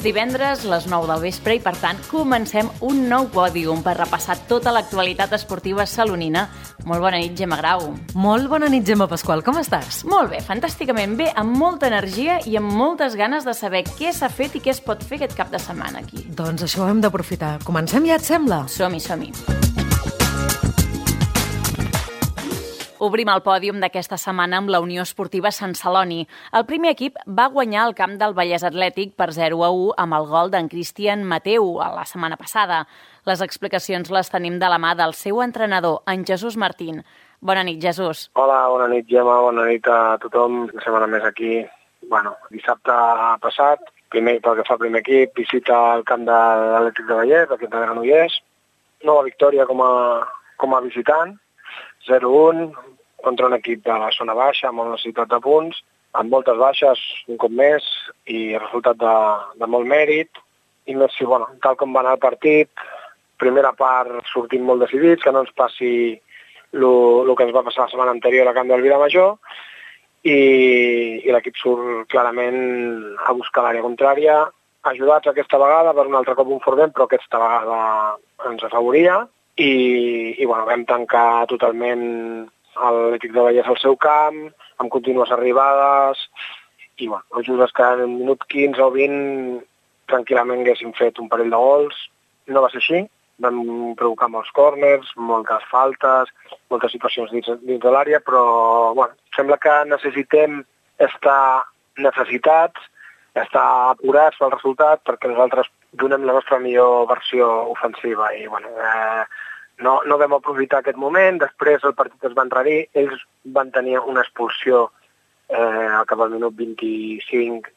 divendres, les 9 del vespre, i per tant comencem un nou pòdium per repassar tota l'actualitat esportiva salonina. Molt bona nit, Gemma Grau. Molt bona nit, Gemma Pasqual. Com estàs? Molt bé, fantàsticament bé, amb molta energia i amb moltes ganes de saber què s'ha fet i què es pot fer aquest cap de setmana aquí. Doncs això ho hem d'aprofitar. Comencem ja, et sembla? Som-hi, som-hi. Obrim el pòdium d'aquesta setmana amb la Unió Esportiva Sant Celoni. El primer equip va guanyar el camp del Vallès Atlètic per 0-1 amb el gol d'en Cristian Mateu a la setmana passada. Les explicacions les tenim de la mà del seu entrenador, en Jesús Martín. Bona nit, Jesús. Hola, bona nit, Gemma, bona nit a tothom. Una setmana més aquí. Dissabte passat, pel que fa al primer equip, visita al camp de l'Atlètic de Vallès, l'equip de Granollers. Nova victòria com a visitant, 0-1, contra un equip de la zona baixa, amb una necessitat de punts, amb moltes baixes, un cop més, i resultat de molt mèrit. I no sé, tal com va anar el partit, primera part sortim molt decidits, que no ens passi el que ens va passar la setmana anterior a camp del Vilamajor, i l'equip surt clarament a buscar l'àrea contrària, ajudats aquesta vegada per un altre cop un fort vent, però aquesta vegada ens afavoria, i vam tancar totalment l'Atlètic de Vallès al seu camp, amb contínues arribades, i just és que en un minut 15 o 20 tranquil·lament haguéssim fet un parell de gols. No va ser així, vam provocar molts córners, moltes faltes, moltes situacions dins de l'àrea, però sembla que necessitem estar necessitats, estar apurats pel resultat, perquè nosaltres donem la nostra millor versió ofensiva, i no vam aprofitar aquest moment. Després el partit es va enrarir, ells van tenir una expulsió al cap del minut 25,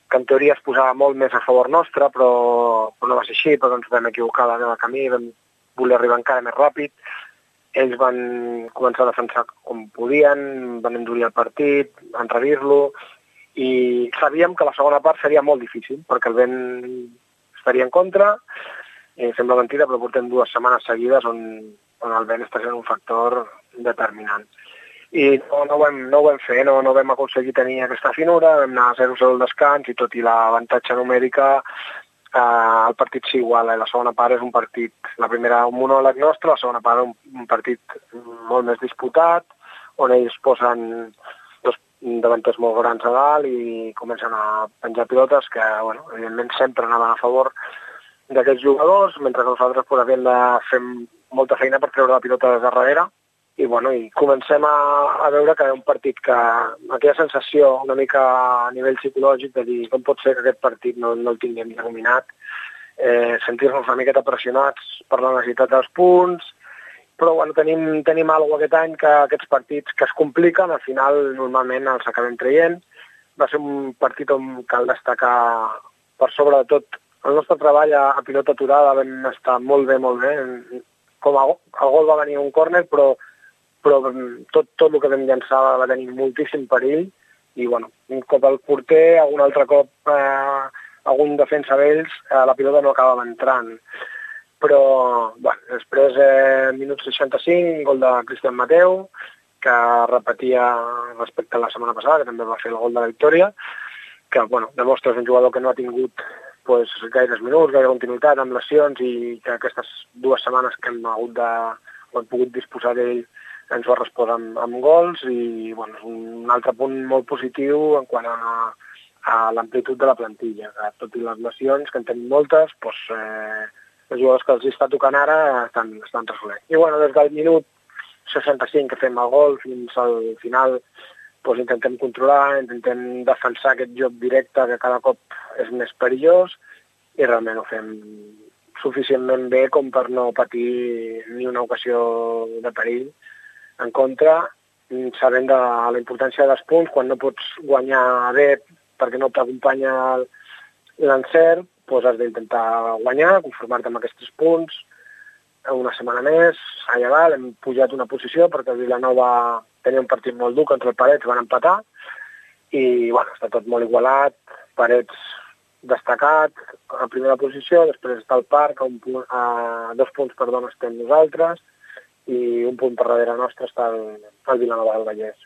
que en teoria es posava molt més a favor nostre, però no va ser així, però ens vam equivocar de meva camí, vam voler arribar encara més ràpid. Ells van començar a defensar com podien, van endurir el partit, enrarir-lo, i sabíem que la segona part seria molt difícil, perquè el vent estaria en contra. Sembla mentida, però portem 2 setmanes seguides on el vent està sent un factor determinant. I no ho vam fer, no vam aconseguir tenir aquesta finura, vam anar a 0-0 al descans, i tot i l'avantatge numèrica, el partit s'iguala. La segona part és un partit, la primera un monòleg nostre, la segona part un partit molt més disputat, on ells posen dos davanters molt grans a dalt i comencen a penjar pilotes que, evidentment, sempre anaven a favor d'aquests jugadors, mentre nosaltres havíem de fer molta feina per treure la pilota des de darrere, i comencem a veure que un partit que aquella sensació una mica a nivell psicològic de dir com pot ser que aquest partit no el tinguem ja dominat, sentir-nos una miqueta pressionats per la necessitat dels punts, però tenim alguna cosa aquest any que aquests partits que es compliquen, al final normalment els acabem traient. Va ser un partit on cal destacar per sobre de tot el nostre treball a pilota aturada. Vam estar molt bé. El gol va venir a un córner, però tot el que vam llançar va tenir moltíssim perill, i un cop al porter, algun altre cop algun defensa d'ells, la pilota no acabava entrant. Però després, minut 65, gol de Cristian Mateu, que repetia respecte a la setmana passada, que també va fer el gol de la victòria, que demostra que és un jugador que no ha tingut gaires minuts, gaire continuïtat, amb lesions, i que aquestes 2 setmanes que hem pogut disposar d'ell ens ho ha respost amb gols, i és un altre punt molt positiu en quant a l'amplitud de la plantilla, que tot i les lesions, que en tenim moltes, els jugadors que els està tocant ara estan resolent. I des del minut 65 que fem el gol fins al final, intentem controlar, intentem defensar aquest joc directe que cada cop és més perillós, i realment ho fem suficientment bé com per no patir ni una ocasió de perill en contra, sabent de la importància dels punts. Quan no pots guanyar bé perquè no t'acompanya l'encert, has d'intentar guanyar, conformar-te amb aquests punts. Una setmana més, allà dalt, hem pujat una posició perquè el Vilanova tenia un partit molt dur contra el Parets, van empatar, i està tot molt igualat. Parets destacat a primera posició, després està el Parc, a 2 punts estem nosaltres, i un punt per darrere nostre està el Vilanova del Vallès.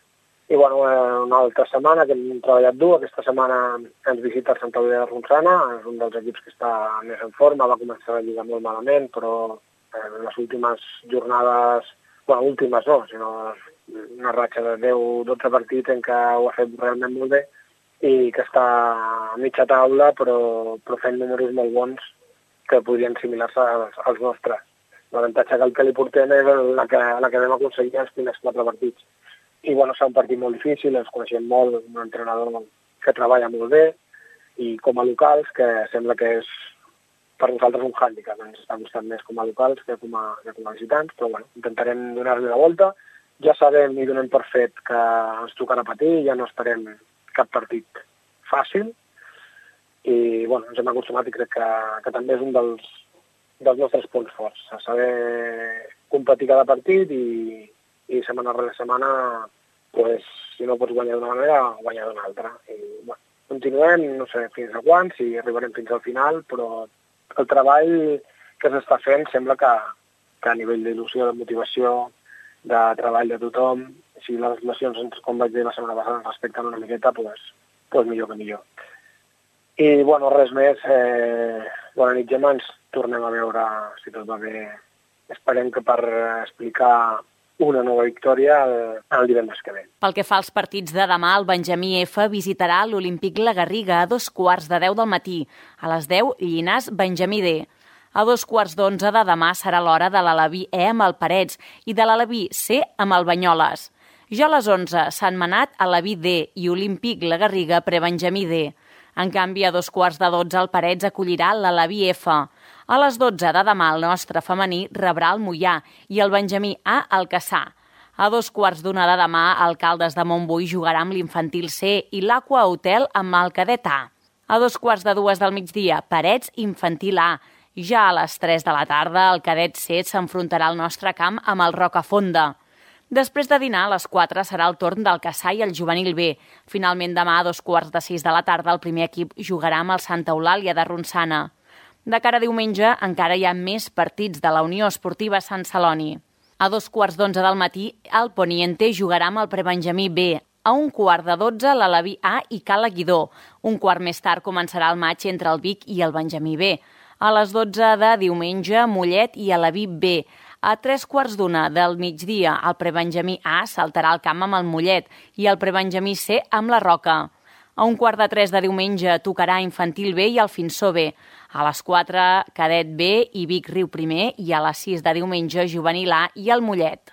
I una altra setmana que hem treballat dur. Aquesta setmana ens visita el Santa Eulàlia de Ronçana, és un dels equips que està més en forma, va començar la Lliga molt malament, però les últimes jornades, últimes no, sinó una ratxa de 10-12 partits en què ho ha fet realment molt bé i que està a mitja taula però fent números molt bons que podrien assimilar-se als nostres. L'avantatge que li portem és la que vam aconseguir els primers 4 partits. I serà un partit molt difícil, ens coneixem molt, un entrenador que treballa molt bé i com a locals, que sembla que és per nosaltres un hàndicap, ens està costant més com a locals que com a visitants, però intentarem donar-li la volta. Ja sabem i donem per fet que ens tocarà patir, ja no esperem cap partit fàcil i ens hem acostumat i crec que també és un dels nostres punts forts, a saber competir cada partit i setmana rere setmana, si no pots guanyar d'una manera, guanyar d'una altra. I, continuem, no sé fins a quan, si arribarem fins al final, però el treball que s'està fent sembla que a nivell d'il·lusió, de motivació, de treball de tothom, si les lesions, com vaig dir la setmana passada, ens respecten una miqueta, doncs millor que millor. I, res més. Bona nit, Gemma, ens tornem a veure, si tot va bé. Esperem que per explicar una nova victòria el divendres que ve. Pel que fa als partits de demà, el Benjamí F visitarà l'Olímpic La Garriga a 9:15 del matí. A les 10, Llinars, Benjamí D. A 11:15 de demà serà l'hora de l'Aleví E amb el Parets i de l'Aleví C amb el Banyoles. Ja a les 11, Sant Manat, Aleví D i Olímpic La Garriga pre-Benjamí D. En canvi, a 11:45 el Parets acollirà l'Aleví F. A les 12 de demà el nostre femení rebrà el Moià i el Benjamí A el Cassà. A 2:15 de demà el Caldes de Montbui jugarà amb l'Infantil C i l'Aqua Hotel amb el Cadet A. A 2:45 del migdia, Parets Infantil A. Ja a les 3 de la tarda el Cadet C s'enfrontarà al nostre camp amb el Rocafonda. Després de dinar, a les 4 serà el torn del Cassà i el Juvenil B. Finalment, demà a 5:45 de la tarda el primer equip jugarà amb el Santa Eulàlia de Ronçana. De cara a diumenge encara hi ha més partits de la Unió Esportiva Sant Celoni. A 2:15 del matí el Poniente jugarà amb el Prebenjamí B. A 1:15 l'Aleví A i Cala Guidó. Un quart més tard començarà el maig entre el Vic i el Benjamí B. A les 12 de diumenge, Mollet i Aleví B. A 3:15 del migdia, el Prebenjamí A saltarà al camp amb el Mollet i el Prebenjamí C amb la Roca. A 2:45 de diumenge tocarà Infantil B i el Finsó B. A les 4, Cadet B i Vic Riu Primer i a les 6 de diumenge, Juvenil A i el Mollet.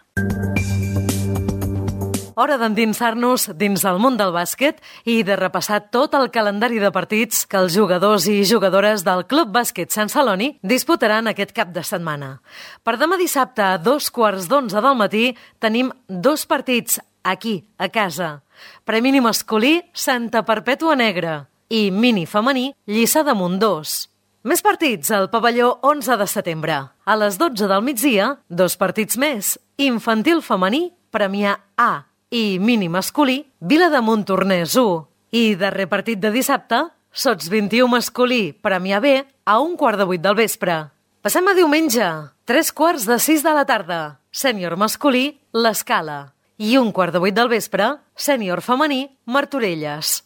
Hora d'endinsar-nos dins el món del bàsquet i de repassar tot el calendari de partits que els jugadors i jugadores del Club Bàsquet Sant Celoni disputaran aquest cap de setmana. Per demà dissabte a 2:15 del matí tenim 2 partits aquí, a casa. Premi masculí, Santa Perpètua Negra i mini femení, Lliçà d'Amunt 2. Més partits al pavelló 11 de setembre. A les 12 del migdia, 2 partits més. Infantil femení, Premià A i mini masculí, Vilademunt Tornès 1. I darrer partit de dissabte, Sots 21 masculí, Premià B, a 1:15 del vespre. Passem a diumenge, 3:45 de la tarda, Sènior masculí, l'Escala. I 1:15 del vespre, Sènior femení, Martorelles.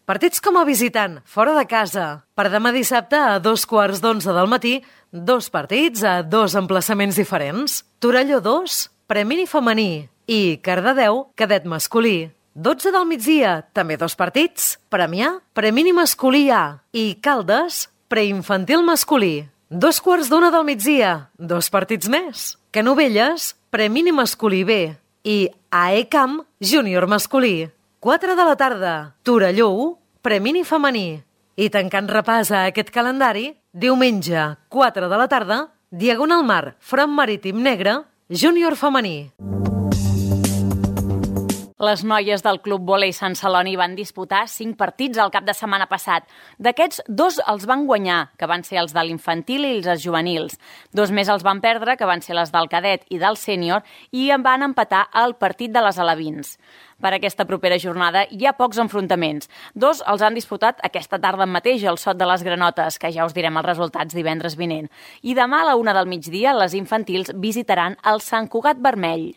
Partits com a visitant, fora de casa. Per demà dissabte a 2:15 del matí, 2 partits a 2 emplaçaments diferents. Torelló 2, Premini femení i Cardedeu, cadet masculí. 12 del migdia, també 2 partits. Premià, Premini masculí A i Caldes, preinfantil masculí. 2:15 del migdia, 2 partits més. Canovelles, Premini masculí B i AECAM, júnior masculí. 4 de la tarda, Torelló 1, Premini femení. I tancant repàs a aquest calendari, diumenge, 4 de la tarda, Diagonal Mar, Front Marítim Negre, júnior femení. Les noies del Club Vòlei Sant Celoni van disputar 5 partits el cap de setmana passat. D'aquests, 2 els van guanyar, que van ser els de l'infantil i els juvenils. 2 més els van perdre, que van ser les del cadet i del sènior, i en van empatar el partit de les alevins. Per aquesta propera jornada hi ha pocs enfrontaments. 2 els han disputat aquesta tarda mateix al Sot de les Granotes, que ja us direm els resultats divendres vinent. I demà a la 1 del migdia, les infantils visitaran el Sant Cugat Vermell.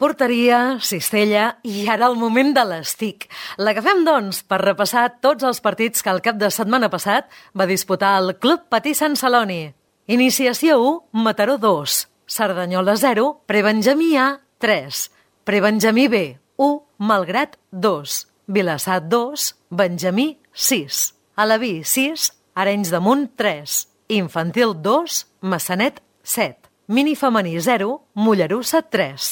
porteria, cistella i ara el moment de l'estic. L'agafem, doncs, per repassar tots els partits que el cap de setmana passat va disputar el Club Patí Sant Celoni. Iniciació 1, Mataró 2, Cerdanyola 0, Prebenjamí A 3, Prebenjamí B 1, Malgrat 2, Vilassar 2, Benjamí 6, Alaví 6, Arenys de Munt 3, Infantil 2, Massanet 7, Mini femení 0, Mollerussa 3.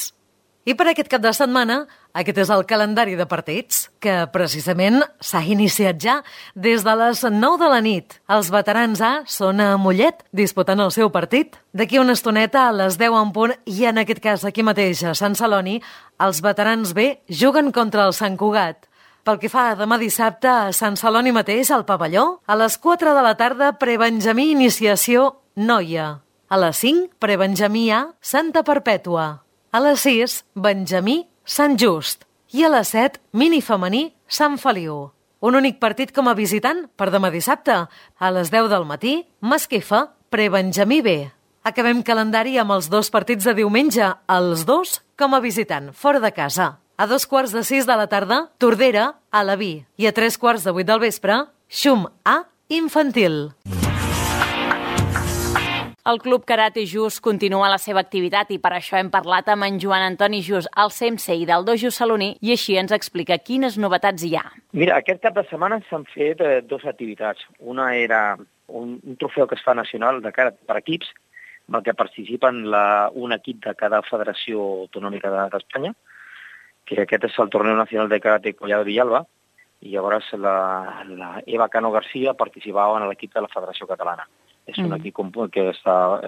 I per aquest cap de setmana, aquest és el calendari de partits, que precisament s'ha iniciat ja des de les 9 de la nit. Els veterans A són a Mollet, disputant el seu partit. D'aquí una estoneta, a les 10 en punt, i en aquest cas aquí mateix, a Sant Celoni, els veterans B juguen contra el Sant Cugat. Pel que fa a demà dissabte, a Sant Celoni mateix, al pavelló, a les 4 de la tarda, Prebenjamí Iniciació Noia. A les 5, Prebenjamí A Santa Perpètua. A les 6, Benjamí Sant Just. I a les 7, Mini femení Sant Feliu. Un únic partit com a visitant per demà dissabte. A les 10 del matí, Masquefa, Prebenjamí B. Acabem calendari amb els 2 partits de diumenge, els 2 com a visitant, fora de casa. A 2:45 de la tarda, Tordera, Alaví. I a 3:15 del vespre, Xum A Infantil. El Club Karate Just continua la seva activitat i per això hem parlat amb en Joan Antoni Just, el sensei del dojo saloní, i així ens explica quines novetats hi ha. Mira, aquest cap de setmana s'han fet 2 activitats. Una era un trofeu que es fa nacional de karate per equips, amb el que participen un equip de cada federació autonòmica d'Espanya, que aquest és el Torneo Nacional de Karate Collado Villalba, i llavors la Eva Cano García participava en l'equip de la Federació Catalana. És un equip que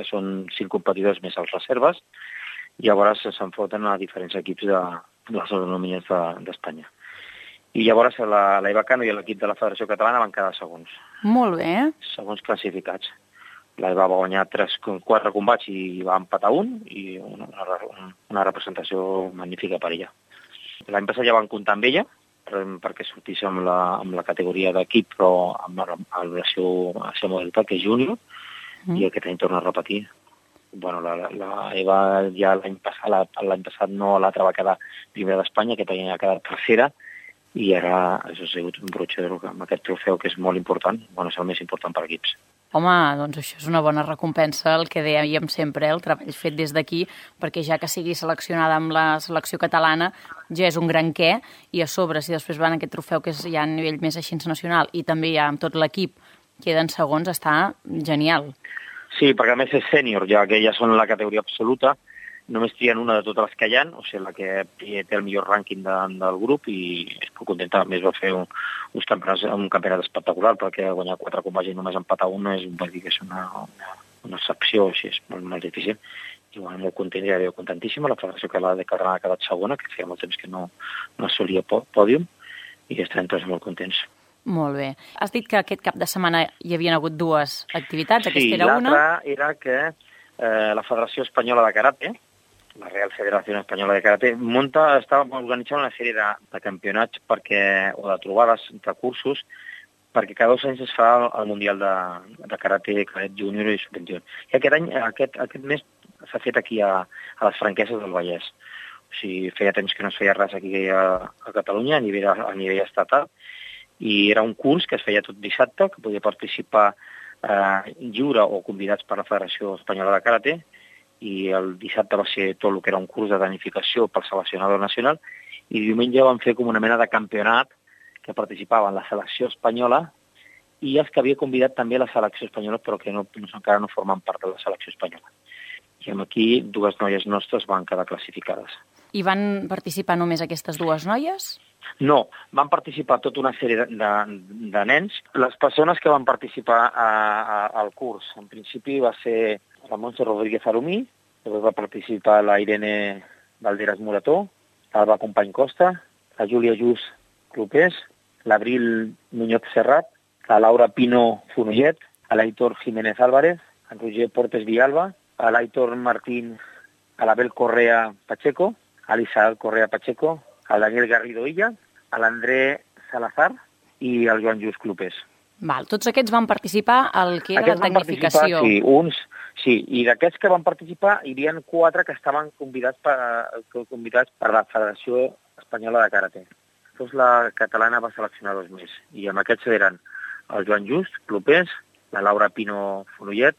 són 5 competidors més als reserves, i llavors s'enfronten a diferents equips de les autonomies d'Espanya. I llavors la Eva Cano i l'equip de la Federació Catalana van quedar segons. Molt bé. Segons classificats. La Eva va guanyar 4 combats i va empatar un, i una representació magnífica per ella. L'any passat ja van comptar amb ella, perquè sortís amb la categoria d'equip, però amb la seva modalitat, que és júnior, i aquest any torna a repetir. Bueno, la Eva ja l'any passat no, l'altra va quedar primera d'Espanya, aquest any ha quedat tercera, i ara això ha sigut un brotxer amb aquest trofeu, que és molt important, bueno, és el més important per equips. Home, doncs això és una bona recompensa, el que dèiem sempre, el treball fet des d'aquí, perquè ja que sigui seleccionada amb la selecció catalana ja és un gran què, i a sobre, si després van aquest trofeu que és ja a nivell més així nacional i també ja amb tot l'equip queden segons, està genial. Sí, perquè a més és sènior, ja que ja són la categoria absoluta, només trien una de totes les que hi ha, o sigui, la que té el millor rànquing del grup, i es pot contentar. A més, va fer un campionat espectacular, perquè guanyar 4 combats i només empatar un vol dir que és una excepció, així és molt difícil. I bueno, molt content, ja era contentíssima. La Federació Catalana ha quedat segona, que feia molt temps que no assolia pòdium, i estem tots molt contents. Molt bé. Has dit que aquest cap de setmana hi havia hagut 2 activitats, aquesta era una? Sí, l'altra era que la Federació Espanyola de Karate, la Real Federació Espanyola de Karate, estava organitzant una sèrie de campionats o de trobades de cursos, perquè cada 2 anys es fa el Mundial de Karate, Cadet Júnior i Sub-21. I aquest any, aquest mes, s'ha fet aquí a les Franqueses del Vallès. O sigui, feia temps que no es feia res aquí a Catalunya, a nivell estatal, i era un curs que es feia tot dissabte, que podia participar lliure o convidats per la Federació Espanyola de Karate, i el dissabte va ser tot el que era un curs de tecnificació pel seleccionador nacional, i diumenge van fer com una mena de campionat que participaven la selecció espanyola i els que havia convidat també la selecció espanyola, però que encara no formen part de la selecció espanyola. I aquí 2 noies nostres van quedar classificades. I van participar només aquestes 2 noies? No, van participar tota una sèrie de nens. Les persones que van participar al curs, en principi va ser la Montse Rodríguez Arumí, després va participar la Irene Valderas Morató, l'Alba Company Costa, la Júlia Just Clopés, l'Abril Muñoz Serrat, la Laura Pino Fonollet, l'Aitor Jiménez Álvarez, el Roger Portes Villalba, l'Aitor Martín, l'Abel Correa Pacheco, l'Isabel Correa Pacheco, el Daniel Garrido Illa, l'André Salazar i el Joan Just Clopés. Val. Tots aquests van participar al que era la tecnificació. Sí, i d'aquests que van participar hi havia 4 que estaven convidats per la Federació Espanyola de Karate. Llavors la catalana va seleccionar 2 més, i amb aquests eren el Joan Just, Clopés, la Laura Pino Fonollet,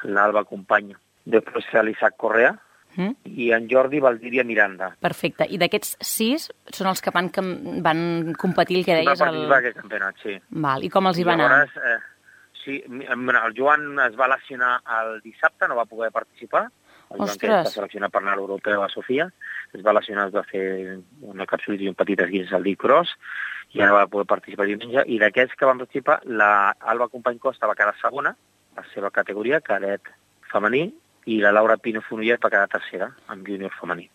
l'Alba Company, després l'Isaac Correa, i en Jordi Valdivia Miranda. Perfecte. I d'aquests 6 són els que van competir, el que deies... Va participar aquest campionat, sí. Val. I com els hi va anar? Sí, el Joan es va lesionar el dissabte, no va poder participar. El Joan, que està seleccionat per anar a l'Europeu a Sofia, es va lesionar, es va fer una capsulitis i un petit esguinç al dit gros, i ara va poder participar diumenge. I d'aquests que van participar, l'Alba Company Costa va quedar segona, la seva categoria, cadet femení, i la Laura Pino Fonollet va quedar tercera, amb júnior femení.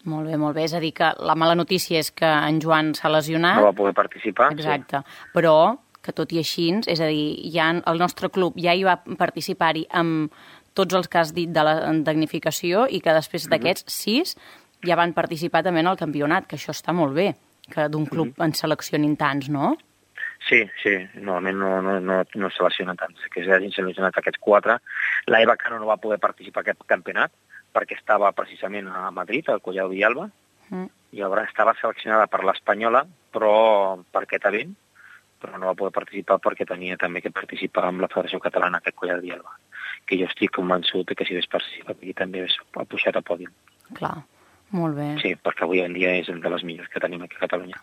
Molt bé, molt bé. És a dir, que la mala notícia és que en Joan s'ha lesionat. No va poder participar. Exacte. Sí. Però que tot i així, és a dir, el nostre club ja hi va participar-hi amb tots els que has dit de la tecnificació i que després d'aquests 6 ja van participar també en el campionat, que això està molt bé, que d'un club en seleccionin tants, no? Sí, normalment no seleccionen tants, que s'hagin seleccionat aquests 4. La Eva Cano no va poder participar en aquest campionat perquè estava precisament a Madrid, al Collado Villalba, i llavors estava seleccionada per l'Espanyola, però per aquest event, però no va poder participar perquè tenia també que participar amb la Federació Catalana, aquest Collado Villalba, que jo estic convençut que si hagués participat aquí també ha pujat a pòdium. Clar, molt bé. Sí, perquè avui en dia és una de les millors que tenim aquí a Catalunya.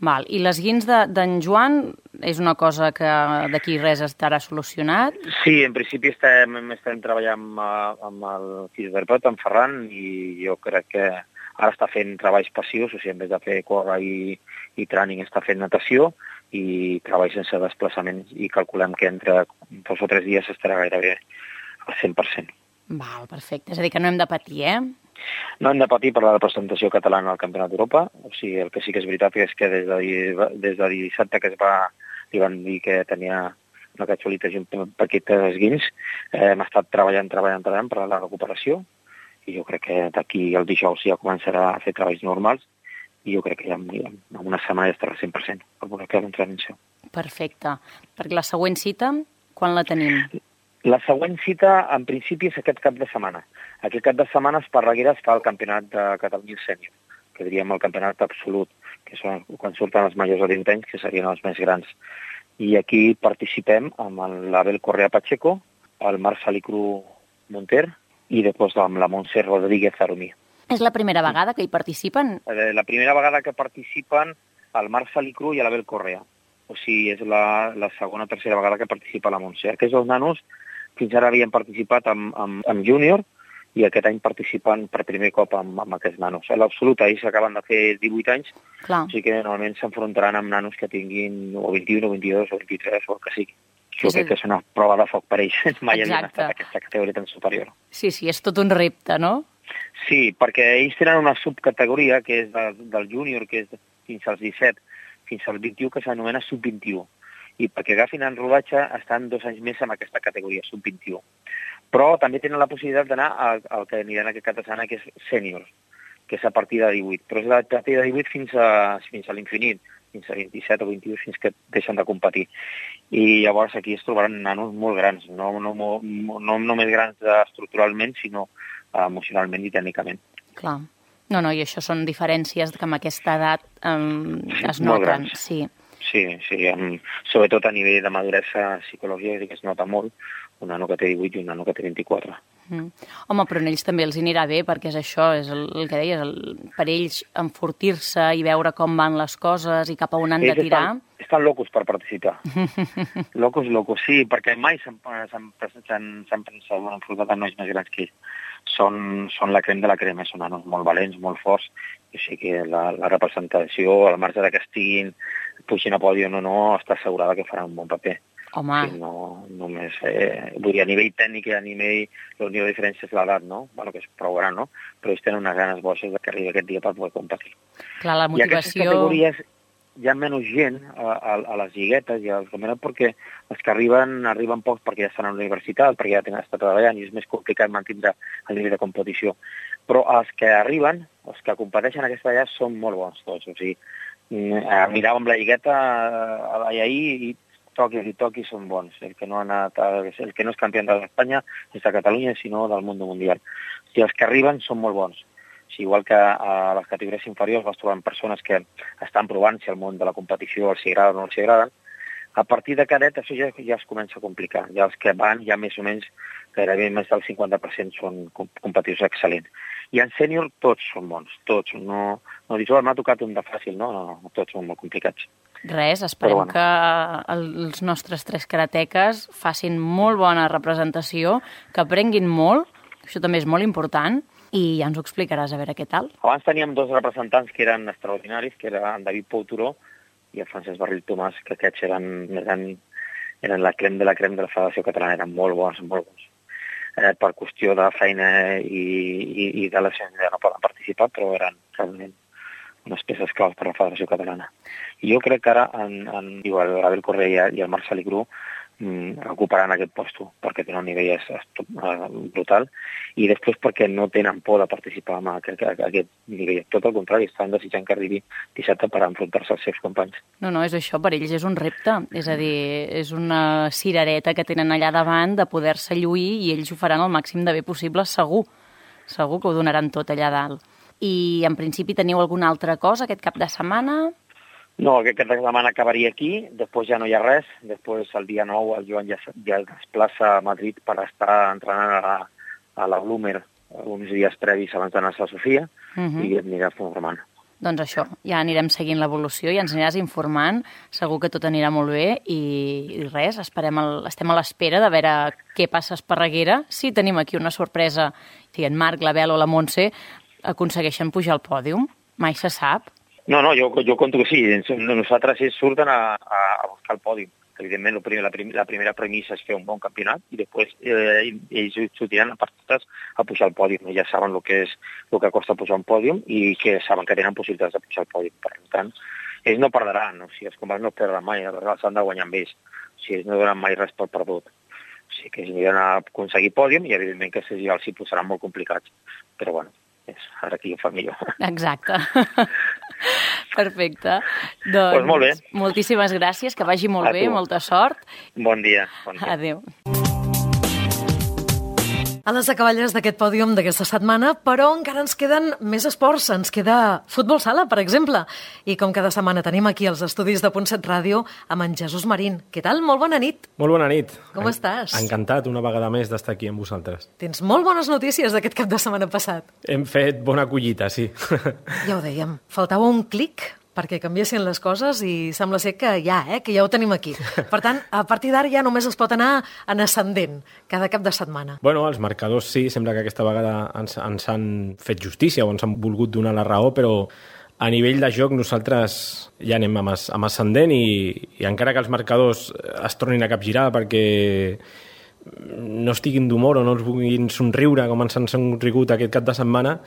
Val. I l'esguinç d'en Joan és una cosa que d'aquí res estarà solucionat? Sí, en principi estem treballant amb el fisioterapeut, en Ferran, i jo crec que ara està fent treballs passius, o sigui, en vez de fer córrer i training, està fent natació i treball sense desplaçaments, i calculem que entre 2 o 3 dies estarà gairebé al 100%. Val, perfecte. És a dir, que no hem de patir, No hem de patir per la representació catalana al Campionat d'Europa. O sigui, el que sí que és veritat és que des de dissabte que li van dir que tenia una capsulitis i un paquet d'esguins, hem estat treballant per la recuperació, i jo crec que d'aquí el dijous ja començarà a fer treballs normals, i jo crec que ja en una setmana ja estarà 100% per poder fer l'entrenament. Perfecte. Perquè la següent cita, quan la tenim? La següent cita, en principi, és aquest cap de setmana. Aquest cap de setmana a Esparreguera es fa el Campionat de Catalunya Sènior, que diríem el campionat absolut, que són quan surten els majors de 20 anys, que serien els més grans. I aquí participem amb l'Abel Correa Pacheco, el Marc Salicru Monter i després amb la Montse Rodríguez Aromí. És la primera vegada que hi participen? La primera vegada que participen el Marc Salicru i l'Abel Correa. O sigui, és la segona o tercera vegada que participa la Montse. Aquests dos nanos fins ara havien participat amb júnior, i aquest any participen per primer cop amb aquests nanos. A l'absolut, ells acaben de fer 18 anys, Clar. O sigui que normalment s'enfrontaran amb nanos que tinguin o 21, o 22, o 23, o el que sigui. Jo crec que és una prova de foc per ells. Mai havien estat aquesta categoria tan superior. Sí, és tot un repte, no? Sí, perquè ells tenen una subcategoria que és del júnior, que és fins als 17, fins al 21, que s'anomena sub-21. I perquè agafin en rodatge estan 2 anys més en aquesta categoria, sub-21. Però també tenen la possibilitat d'anar al que aniran aquest cap de setmana, que és sènior, que és a partir de 18. Però és a partir de 18 fins a l'infinit, fins a 27 o 21, fins que deixen de competir. I llavors aquí es trobaran nanos molt grans, no només grans estructuralment, sinó emocionalment i tècnicament. Clar. No, i això són diferències que amb aquesta edat es noten. Molt grans. Sí, sobretot a nivell de maduresa psicològica, que es nota molt, un nano que té 18 i un nano que té 24. Home, però a ells també els anirà bé, perquè és això, és el que deies, per ells enfortir-se i veure com van les coses i cap a on han de tirar. Estan locos per participar. Locos, sí, perquè mai s'han enfrontat amb nois més grans que ells. Són la crema de la crema, són nanos molt valents, molt forts, i o sigui que la representació, al marge que estiguin pugin a pòdium o no, està assegurada que faran un bon paper. Home. Sí, no només, vull dir, a nivell tècnic i a nivell, l'única diferència és l'edat, no? Bueno, que és prou gran, no? Però ells tenen unes ganes boixes que arribi aquest dia per poder competir. Clar, la motivació... I aquestes categories hi ha menys gent a les lliguetes i als campionats perquè els que arriben pocs perquè ja estan a la universitat, perquè ja tenen estat treballant i és més complicat mantenir el nivell de competició. Però els que arriben, els que competeixen aquesta allà són molt bons tots. O sigui, miràvem la lligueta ahir i toquis són bons. El que no és campió d'Espanya és de Catalunya, sinó del món mundial. I els que arriben són molt bons. Igual que a les categories inferiors vas trobant persones que estan provant si el món de la competició els agrada o no els agrada. A partir de cadet això ja es comença a complicar. Ja els que van ja més o menys gairebé més del 50% són competitius excel·lents. I en sènior tots són bons, tots. No dius, m'ha tocat un de fàcil, no, tots són molt complicats. Res, esperem que els nostres 3 karateques facin molt bona representació, que aprenguin molt, això també és molt important, i ja ens ho explicaràs a veure què tal. Abans teníem 2 representants que eren extraordinaris, que eren en David Pou Turó i el Francesc Barril Tomàs, que aquests eren la crem de la Federació Catalana, eren molt bons. Per qüestió de feina i de la gent no poden participar, però eren realment unes peces claus per la Federació Catalana. I jo crec que ara l'Abel Correa i el Marcel Igru ocuparan aquest lloc perquè tenen un nivell brutal i després perquè no tenen por de participar en aquest nivell. Tot el contrari, estan desitjant que arribi dissabte per enfrontar-se als seus companys. No, és això, per ells és un repte, és a dir, és una cirereta que tenen allà davant de poder-se lluir i ells ho faran el màxim de bé possible, segur que ho donaran tot allà dalt. I en principi teniu alguna altra cosa aquest cap de setmana? No, aquest cap de setmana acabaria aquí, després ja no hi ha res, després el dia 9 el Joan ja es desplaça a Madrid per estar entrenant a la Bloomer uns dies previs abans d'anar-se a Sofia i anirà formant. Doncs això, ja anirem seguint l'evolució i ens aniràs informant, segur que tot anirà molt bé i res, estem a l'espera de veure què passa a Esparreguera, si tenim aquí una sorpresa, si en Marc, la Bel o la Montse aconsegueixen pujar al pòdium, mai se sap. No, jo conto que sí. Nosaltres ells surten a buscar el pòdium. Evidentment, la primera premissa és fer un bon campionat i després ells sortiran a partes a pujar al pòdium. Ja saben el que costa pujar un pòdium i que saben que tenen possibilitats de pujar al pòdium. Per tant, ells no perdran. O sigui, els companys no perdran mai. S'han de guanyar amb ells. O sigui, ells no donen mai res per perdut. O sigui, que ells aniran a aconseguir pòdium i, evidentment, que els hi posaran molt complicats. Però, bueno, ara aquí ho fa millor. Exacte. Perfecte. Doncs molt bé. Moltíssimes gràcies, que vagi molt bé, molta sort. Bon dia. Adéu. A les acaballes d'aquest pòdium d'aquesta setmana, però encara ens queden més esports. Ens queda futbol sala, per exemple. I com cada setmana tenim aquí els estudis de Punt7 Ràdio amb en Jesús Marín. Què tal? Molt bona nit. Molt bona nit. Com estàs? Encantat una vegada més d'estar aquí amb vosaltres. Tens molt bones notícies d'aquest cap de setmana passat. Hem fet bona collita, sí. Ja ho dèiem. Faltava un clic perquè canviessin les coses i sembla ser que ja ho tenim aquí. Per tant, a partir d'ara ja només es pot anar en ascendent cada cap de setmana. Bueno, els marcadors sí, sembla que aquesta vegada ens han fet justícia o ens han volgut donar la raó, però a nivell de joc nosaltres ja anem amb ascendent i encara que els marcadors es tornin a capgirar perquè no estiguin d'humor o no els vulguin somriure com ens han somrigut aquest cap de setmana,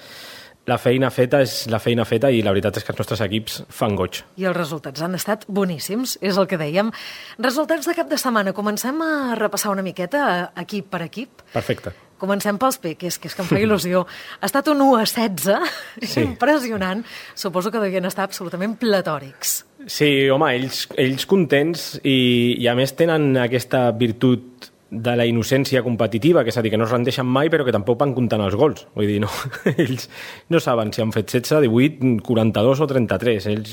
la feina feta és la feina feta i la veritat és que els nostres equips fan goig. I els resultats han estat boníssims, és el que dèiem. Resultats de cap de setmana. Comencem a repassar una miqueta equip per equip. Perfecte. Comencem pels peques, que és que em fa il·lusió. Ha estat un 1-16, sí. Impressionant. Suposo que devien estar absolutament platòrics. Sí, home, ells contents i a més tenen aquesta virtut de la innocència competitiva, que és a dir, que no es rendeixen mai però que tampoc van comptant els gols. Vull dir, no, ells no saben si han fet 16, 18, 42 o 33. Ells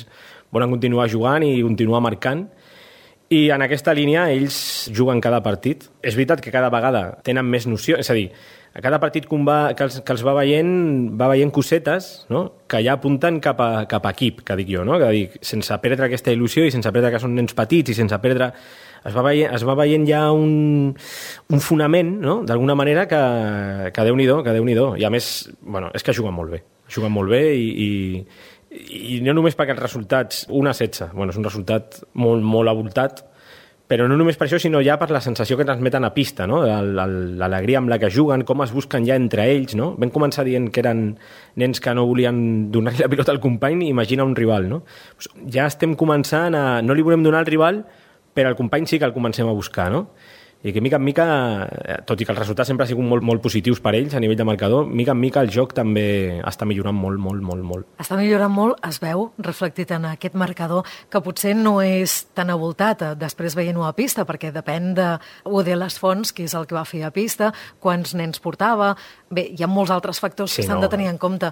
volen continuar jugant i continuar marcant i en aquesta línia ells juguen cada partit. És veritat que cada vegada tenen més noció, és a dir, a cada partit que els va veient cosetes, no? Que ja apunten cap a equip, que dic jo, no? Que dic, sense perdre aquesta il·lusió i sense perdre que són nens petits i sense perdre... Es va veient ja un fonament, no? D'alguna manera que Déu-n'hi-do. I a més, bueno, és que juguen molt bé i no només perquè els resultats, 1-16, bueno, és un resultat molt, molt avoltat, però no només per això, sinó ja per la sensació que transmeten a pista, no? L'alegria amb la que juguen, com es busquen ja entre ells, no? Vam començar dient que eren nens que no volien donar la pilota al company i imagina un rival, no? Ja estem començant a... No li volem donar al rival, però el company sí que el comencem a buscar, no? i que mica en mica, tot i que els resultats sempre han sigut molt positius per ells a nivell de marcador, mica en mica el joc també està millorant molt. Està millorant molt, es veu reflectit en aquest marcador, que potser no és tan avoltat després veient-ho a pista, perquè depèn de les fonts, que és el que va fer a pista, quants nens portava. Bé, hi ha molts altres factors que s'han de tenir en compte,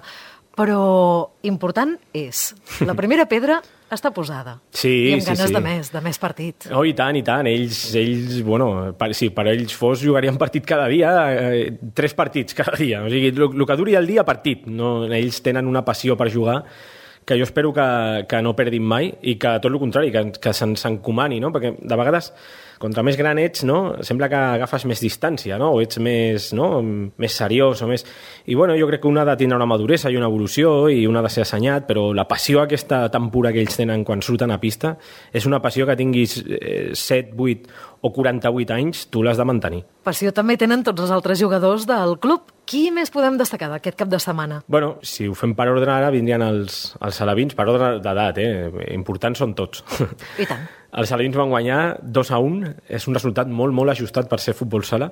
però important és, la primera pedra està posada. I amb ganes de més partit. Oh, i tant. Ells bueno, si per ells fos, jugarien partit cada dia, 3 partits cada dia. O sigui, el que duri el dia, partit. No, ells tenen una passió per jugar que jo espero que no perdin mai i que, tot el contrari, que s'encomani, no? Perquè de vegades, contra més gran ets, no? Sembla que agafes més distància, no? O ets més seriós, o més... I bueno, jo crec que un ha de tindre una maduresa i una evolució i un ha de ser assenyat, però la passió aquesta tan pura que ells tenen quan surten a pista és una passió que tinguis 7, 8 o 48 anys, tu l'has de mantenir. Passió també tenen tots els altres jugadors del club. Qui més podem destacar d'aquest cap de setmana? Bueno, si ho fem per ordre ara, vindrien els alevins, per ordre d'edat, importants són tots. I tant. Els alevins van guanyar 2-1, és un resultat molt ajustat per ser futbol sala.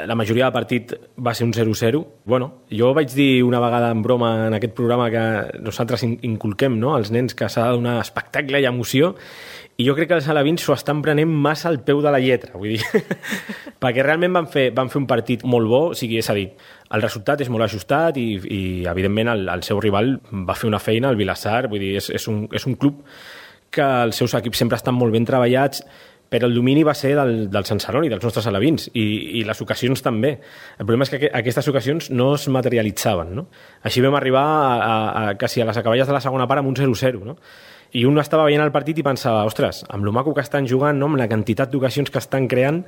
La majoria del partit va ser un 0-0. Bueno, jo vaig dir una vegada en broma en aquest programa que nosaltres inculquem, no?, als nens que s'ha de donar espectacle i emoció, i jo crec que els alevins s'ho estan prenent massa al peu de la lletra, vull dir, perquè realment van fer un partit molt bo, o sigui, és a dir, el resultat és molt ajustat i evidentment el seu rival va fer una feina, el Vilassar, vull dir, és un club que els seus equips sempre estan molt ben treballats, però el domini va ser del Sant Celoni, dels nostres alevins, i les ocasions també. El problema és que aquestes ocasions no es materialitzaven, no? Així vam arribar quasi a les acaballes de la segona part amb un 0-0, no? I un estava veient el partit i pensava, ostres, amb lo maco que estan jugant, no?, amb la quantitat d'ocasions que estan creant,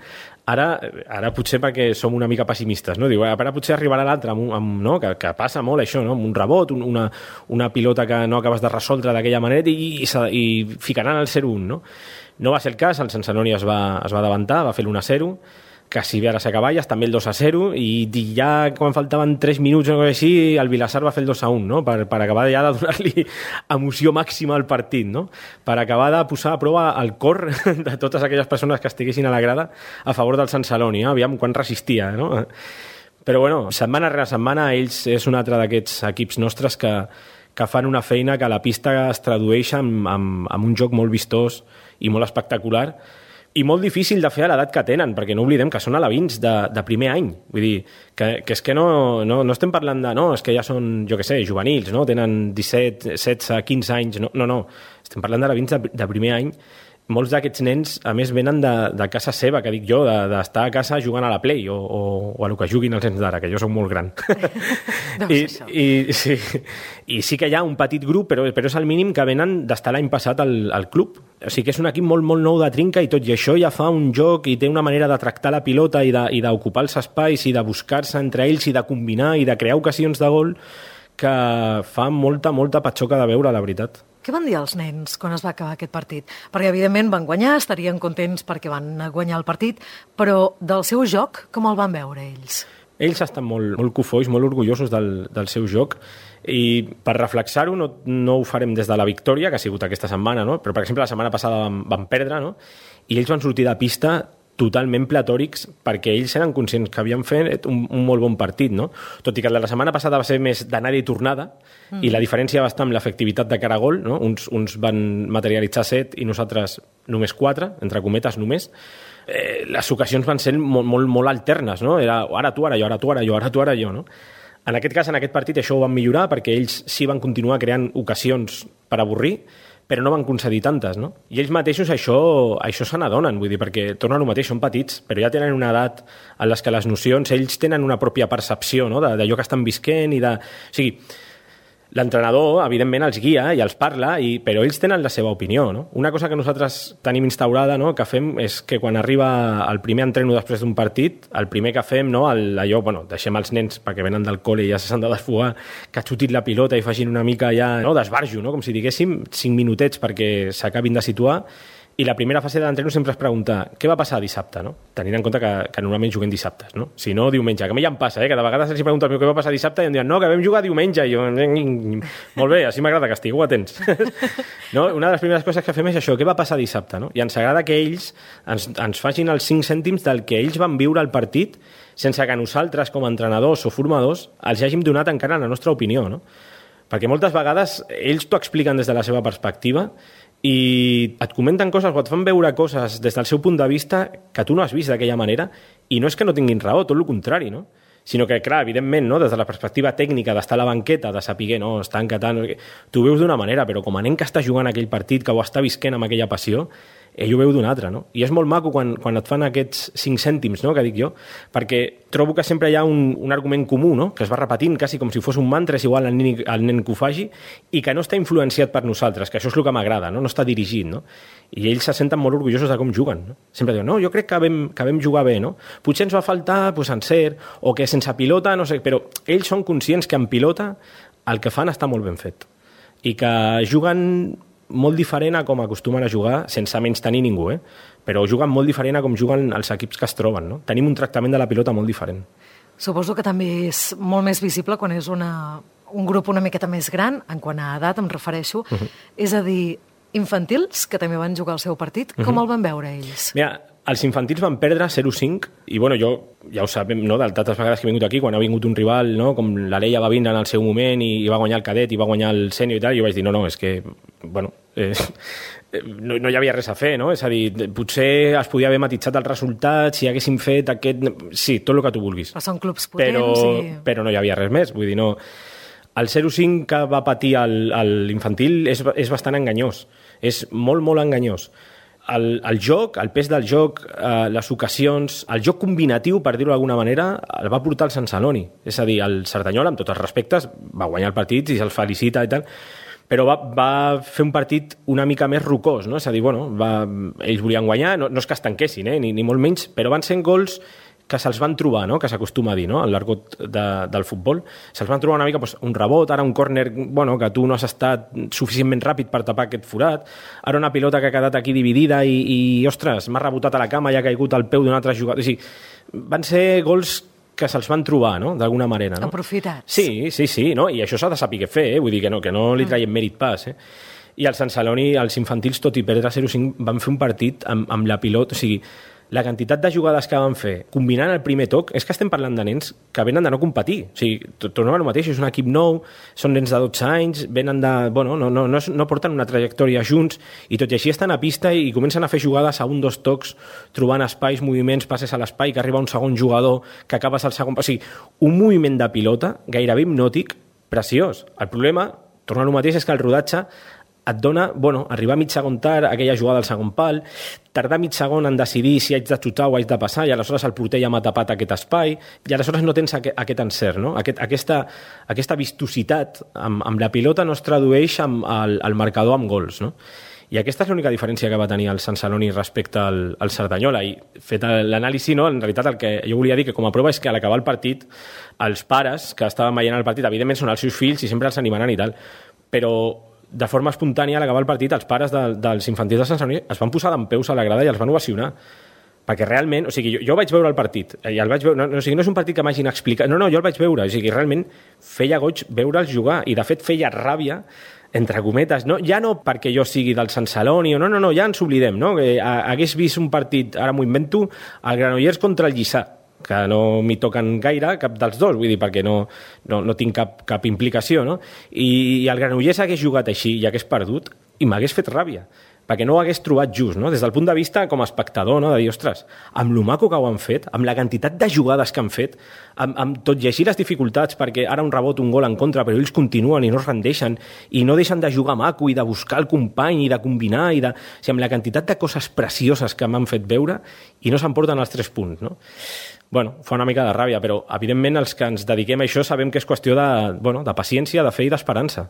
ara potser perquè som una mica pessimistes, no? Diu, ara potser arribarà l'altre, no? Que passa molt això, no?, amb un rebot, una pilota que no acabes de resoldre d'aquella manera i ficaran el 0-1, no? No va ser el cas, el Sant Celoni es va davantar, va fer l'1-0, quasi bé a les acaballes, també el 2-0, i ja quan faltaven 3 minuts o alguna cosa així, el Vilassar va fer el 2-1, no?, per acabar ja de donar-li emoció màxima al partit, no?, per acabar de posar a prova el cor de totes aquelles persones que estiguessin a la grada a favor del Sant Celoni, aviam quan resistia, no? Però bueno, setmana rere setmana ells és un altre d'aquests equips nostres que fan una feina que a la pista es tradueix amb un joc molt vistós i molt espectacular, i molt difícil de fer a l'edat que tenen, perquè no oblidem que són alevins de primer any. Vull dir, que és que no estem parlant de... No, és que ja són, jo què sé, juvenils, no? Tenen 17, 16, 15 anys... No. Estem parlant d'alevins de primer any. Molts d'aquests nens, a més, venen de casa seva, que dic jo, d'estar a casa jugant a la Play o a lo que juguin els nens d'ara, que jo soc molt gran. I sí que hi ha un petit grup, però és el mínim que venen d'estar l'any passat al club. O sigui que és un equip molt nou de trinca i tot i això ja fa un joc i té una manera de tractar la pilota i d'ocupar els espais i de buscar-se entre ells i de combinar i de crear ocasions de gol que fa molta patxoca de veure, la veritat. Què van dir els nens quan es va acabar aquest partit? Perquè, evidentment, van guanyar, estarien contents perquè van guanyar el partit, però del seu joc, com el van veure ells? Ells estan molt cofois, molt orgullosos del seu joc, i per reflexar-ho no ho farem des de la victòria, que ha sigut aquesta setmana, no? Però, per exemple, la setmana passada van perdre, no? I ells van sortir de pista totalment platòrics perquè ells eren conscients que havien fet un molt bon partit, no? Tot i que la setmana passada va ser més d'anada i tornada, i la diferència va estar amb l'efectivitat de cara a gol, no? Uns van materialitzar 7 i nosaltres només 4, entre cometes només. Les ocasions van ser molt alternes, no? Era ara tu, ara jo, ara tu, ara jo, ara tu, ara jo, no? En aquest cas, en aquest partit, això ho van millorar perquè ells sí van continuar creant ocasions per avorrir, però no van concedir tantes, no? I ells mateixos això se n'adonen, vull dir, perquè tornen al mateix, són petits, però ja tenen una edat en les que les nocions, ells tenen una pròpia percepció, no?, d'allò que estan visquent i de... O sigui, l'entrenador, evidentment, els guia i els parla, però ells tenen la seva opinió, no? Una cosa que nosaltres tenim instaurada, no?, que fem és que quan arriba el primer entreno després d'un partit, el primer que fem, no?, deixem els nens perquè venen del col·le i ja s'han de desfogar, que xutin la pilota i facin una mica ja, no?, d'esbarjo, no?, com si diguéssim 5 minutets perquè s'acabin de situar, I la primera fase de l'entreno sempre es pregunta què va passar dissabte, no? Tenint en compte que normalment juguem dissabtes, no? Si no, diumenge, que a mi ja em passa, que de vegades els pregunto què va passar dissabte i em diuen, no, que vam jugar diumenge, i jo, molt bé, així m'agrada que estigueu atents. No? Una de les primeres coses que fem és això, què va passar dissabte, no? I ens agrada que ells ens facin els 5 cèntims del que ells van viure al partit sense que nosaltres, com a entrenadors o formadors, els hàgim donat encara la nostra opinió, no? Perquè moltes vegades ells t'ho expliquen des de la seva perspectiva i et comenten coses o et fan veure coses des del seu punt de vista que tu no has vist d'aquella manera i no és que no tinguin raó, tot el contrari, no? Sinó que, clar, evidentment, no? Des de la perspectiva tècnica d'estar a la banqueta, de saber, no, estan catant... Tu ho veus d'una manera, però com a nen que està jugant aquell partit, que ho està visquent amb aquella passió, ell ho veu d'una altra, no? I és molt maco quan et fan aquests 5 cèntims, no?, que dic jo, perquè trobo que sempre hi ha un argument comú, no?, que es va repetint quasi com si fos un mantra, és igual al nen que ho faci, i que no està influenciat per nosaltres, que això és el que m'agrada, no està dirigit, no? I ells se senten molt orgullosos de com juguen, no? Sempre diuen, no, jo crec que vam jugar bé, no? Potser ens va faltar pues, encert, o que sense pilota, no sé, però ells són conscients que en pilota el que fan està molt ben fet. I que juguen molt diferent a com acostumen a jugar, sense menys tenir ningú, però juguen molt diferent a com juguen els equips que es troben. No? Tenim un tractament de la pilota molt diferent. Suposo que també és molt més visible quan és un grup una miqueta més gran, en quant a edat em refereixo, és a dir, infantils, que també van jugar el seu partit, com el van veure ells? Mira, els infantils van perdre 0-5 i bueno, jo ja ho sabem, no, de tantes vegades que he vingut aquí, quan ha vingut un rival, no, com l'Alella va vindre en el seu moment i va guanyar el cadet i va guanyar el sènior i tal, i jo vaig dir, no, és que, bueno, no hi havia res a fer, no? És a dir, potser es podia haver matitzat el resultat si haguéssim fet aquest... Sí, tot el que tu vulguis. Però són clubs potents però no hi havia res més, vull dir, no... El 0-5 que va patir l'infantil és bastant enganyós, és molt, molt enganyós. El joc, el pes del joc, les ocasions, el joc combinatiu, per dir-ho d'alguna manera, el va portar el Sant Celoni. És a dir, el Cerdanyola, amb tots els respectes, va guanyar el partit i se'ls felicita i tal, però va fer un partit una mica més rocós, no? És a dir, bueno, ells volien guanyar, no és que es tanquessin, ni molt menys, però van ser gols que se'ls van trobar, no? Que s'acostuma a dir, no? Al l'argot del futbol. Se'ls van trobar una mica un rebot, ara un córner que tu no has estat suficientment ràpid per tapar aquest forat, ara una pilota que ha quedat aquí dividida i ostres, m'ha rebotat a la cama i ha caigut al peu d'un altre jugador. O sigui, van ser gols que se'ls van trobar, no?, d'alguna manera. No? Aprofitats. Sí, no? I això s'ha de saber què fer, vull dir que no li traiem mèrit pas, I el Sant Celoni, els infantils, tot i perdre 0-5, van fer un partit amb la pilota, o sigui, la quantitat de jugades que van fer, combinant el primer toc, és que estem parlant de nens que venen de no competir. O sigui, tornem al mateix, és un equip nou, són nens de 12 anys, venen de... Bueno, no porten una trajectòria junts, i tot i així estan a pista i comencen a fer jugades a 1-2 tocs, trobant espais, moviments, passes a l'espai, que arriba un segon jugador, que acabes al segon... O sigui, un moviment de pilota gairebé hipnòtic, preciós. El problema, tornar al mateix, és que el rodatge et dona, arribar a mig segon tard, aquella jugada al segon pal, tardar mig segon en decidir si haig de xutar o haig de passar, i aleshores el porter ja m'ha tapat aquest espai, i aleshores no tens aquest encert, no? Aquesta vistositat amb la pilota no es tradueix al marcador amb gols, no? I aquesta és l'única diferència que va tenir el Sant Celoni respecte al Cerdanyola, i fet l'anàlisi, no? En realitat el que jo volia dir que com a prova és que a l'acabar el partit els pares que estaven veient el partit, evidentment són els seus fills i sempre els animaran i tal, però de forma espontània, a l'acabar el partit, els pares dels infantils de Sant Celoni es van posar dempeus a la grada i els van ovacionar. Perquè realment, o sigui, jo vaig veure el partit, i el vaig veure, no és un partit que m'hagin explicat, no, jo el vaig veure, o sigui, realment feia goig veure'ls jugar, i de fet feia ràbia, entre cometes, no? Ja no perquè jo sigui del Sant Celoni, no, ja ens oblidem, no? Que hagués vist un partit, ara m'ho invento, el Granollers contra el Lliçà, que no m'hi toquen gaire, cap dels dos, vull dir, perquè no tinc cap implicació, no? I el Granollers hagués jugat així i hagués perdut i m'hagués fet ràbia, perquè no ho hagués trobat just, no? Des del punt de vista com a espectador, no? De dir, ostres, amb lo maco que ho han fet, amb la quantitat de jugades que han fet, amb tot i així les dificultats, perquè ara un rebot, un gol en contra, però ells continuen i no es rendeixen, i no deixen de jugar maco i de buscar el company i de combinar, o sigui, amb la quantitat de coses precioses que m'han fet veure i no s'emporten els 3 punts, no? Bueno, fa una mica de ràbia, però evidentment els que ens dediquem a això sabem que és qüestió de paciència, de fe i d'esperança,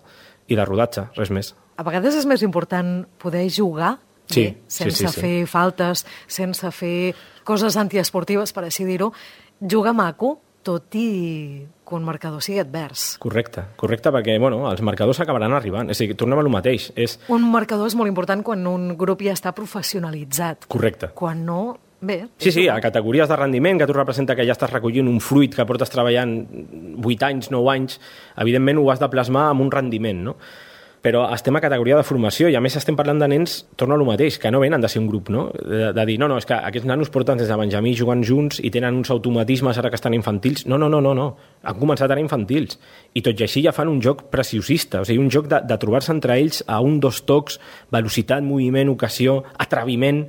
i de rodatge, res més. A vegades és més important poder jugar bé, sense fer faltes, sense fer coses antiesportives, per així dir-ho. Jugar maco, tot i que un marcador sigui advers. Correcte, perquè els marcadors acabaran arribant. És a dir, tornem a lo mateix. Un marcador és molt important quan un grup ja està professionalitzat. Correcte. Quan no, bé... Sí, a categories de rendiment, que tu representa que ja estàs recollint un fruit que portes treballant 8 anys, 9 anys, evidentment ho has de plasmar amb un rendiment, no? Però estem a categoria de formació i a més estem parlant de nens, torno a lo mateix, que no venen de ser un grup, no? De dir, no, és que aquests nanos porten des de Benjamí jugant junts i tenen uns automatismes ara que estan infantils. No. Han començat ara infantils. I tot i així ja fan un joc preciosista, o sigui, un joc de trobar-se entre ells a 1, 2 tocs, velocitat, moviment, ocasió, atreviment,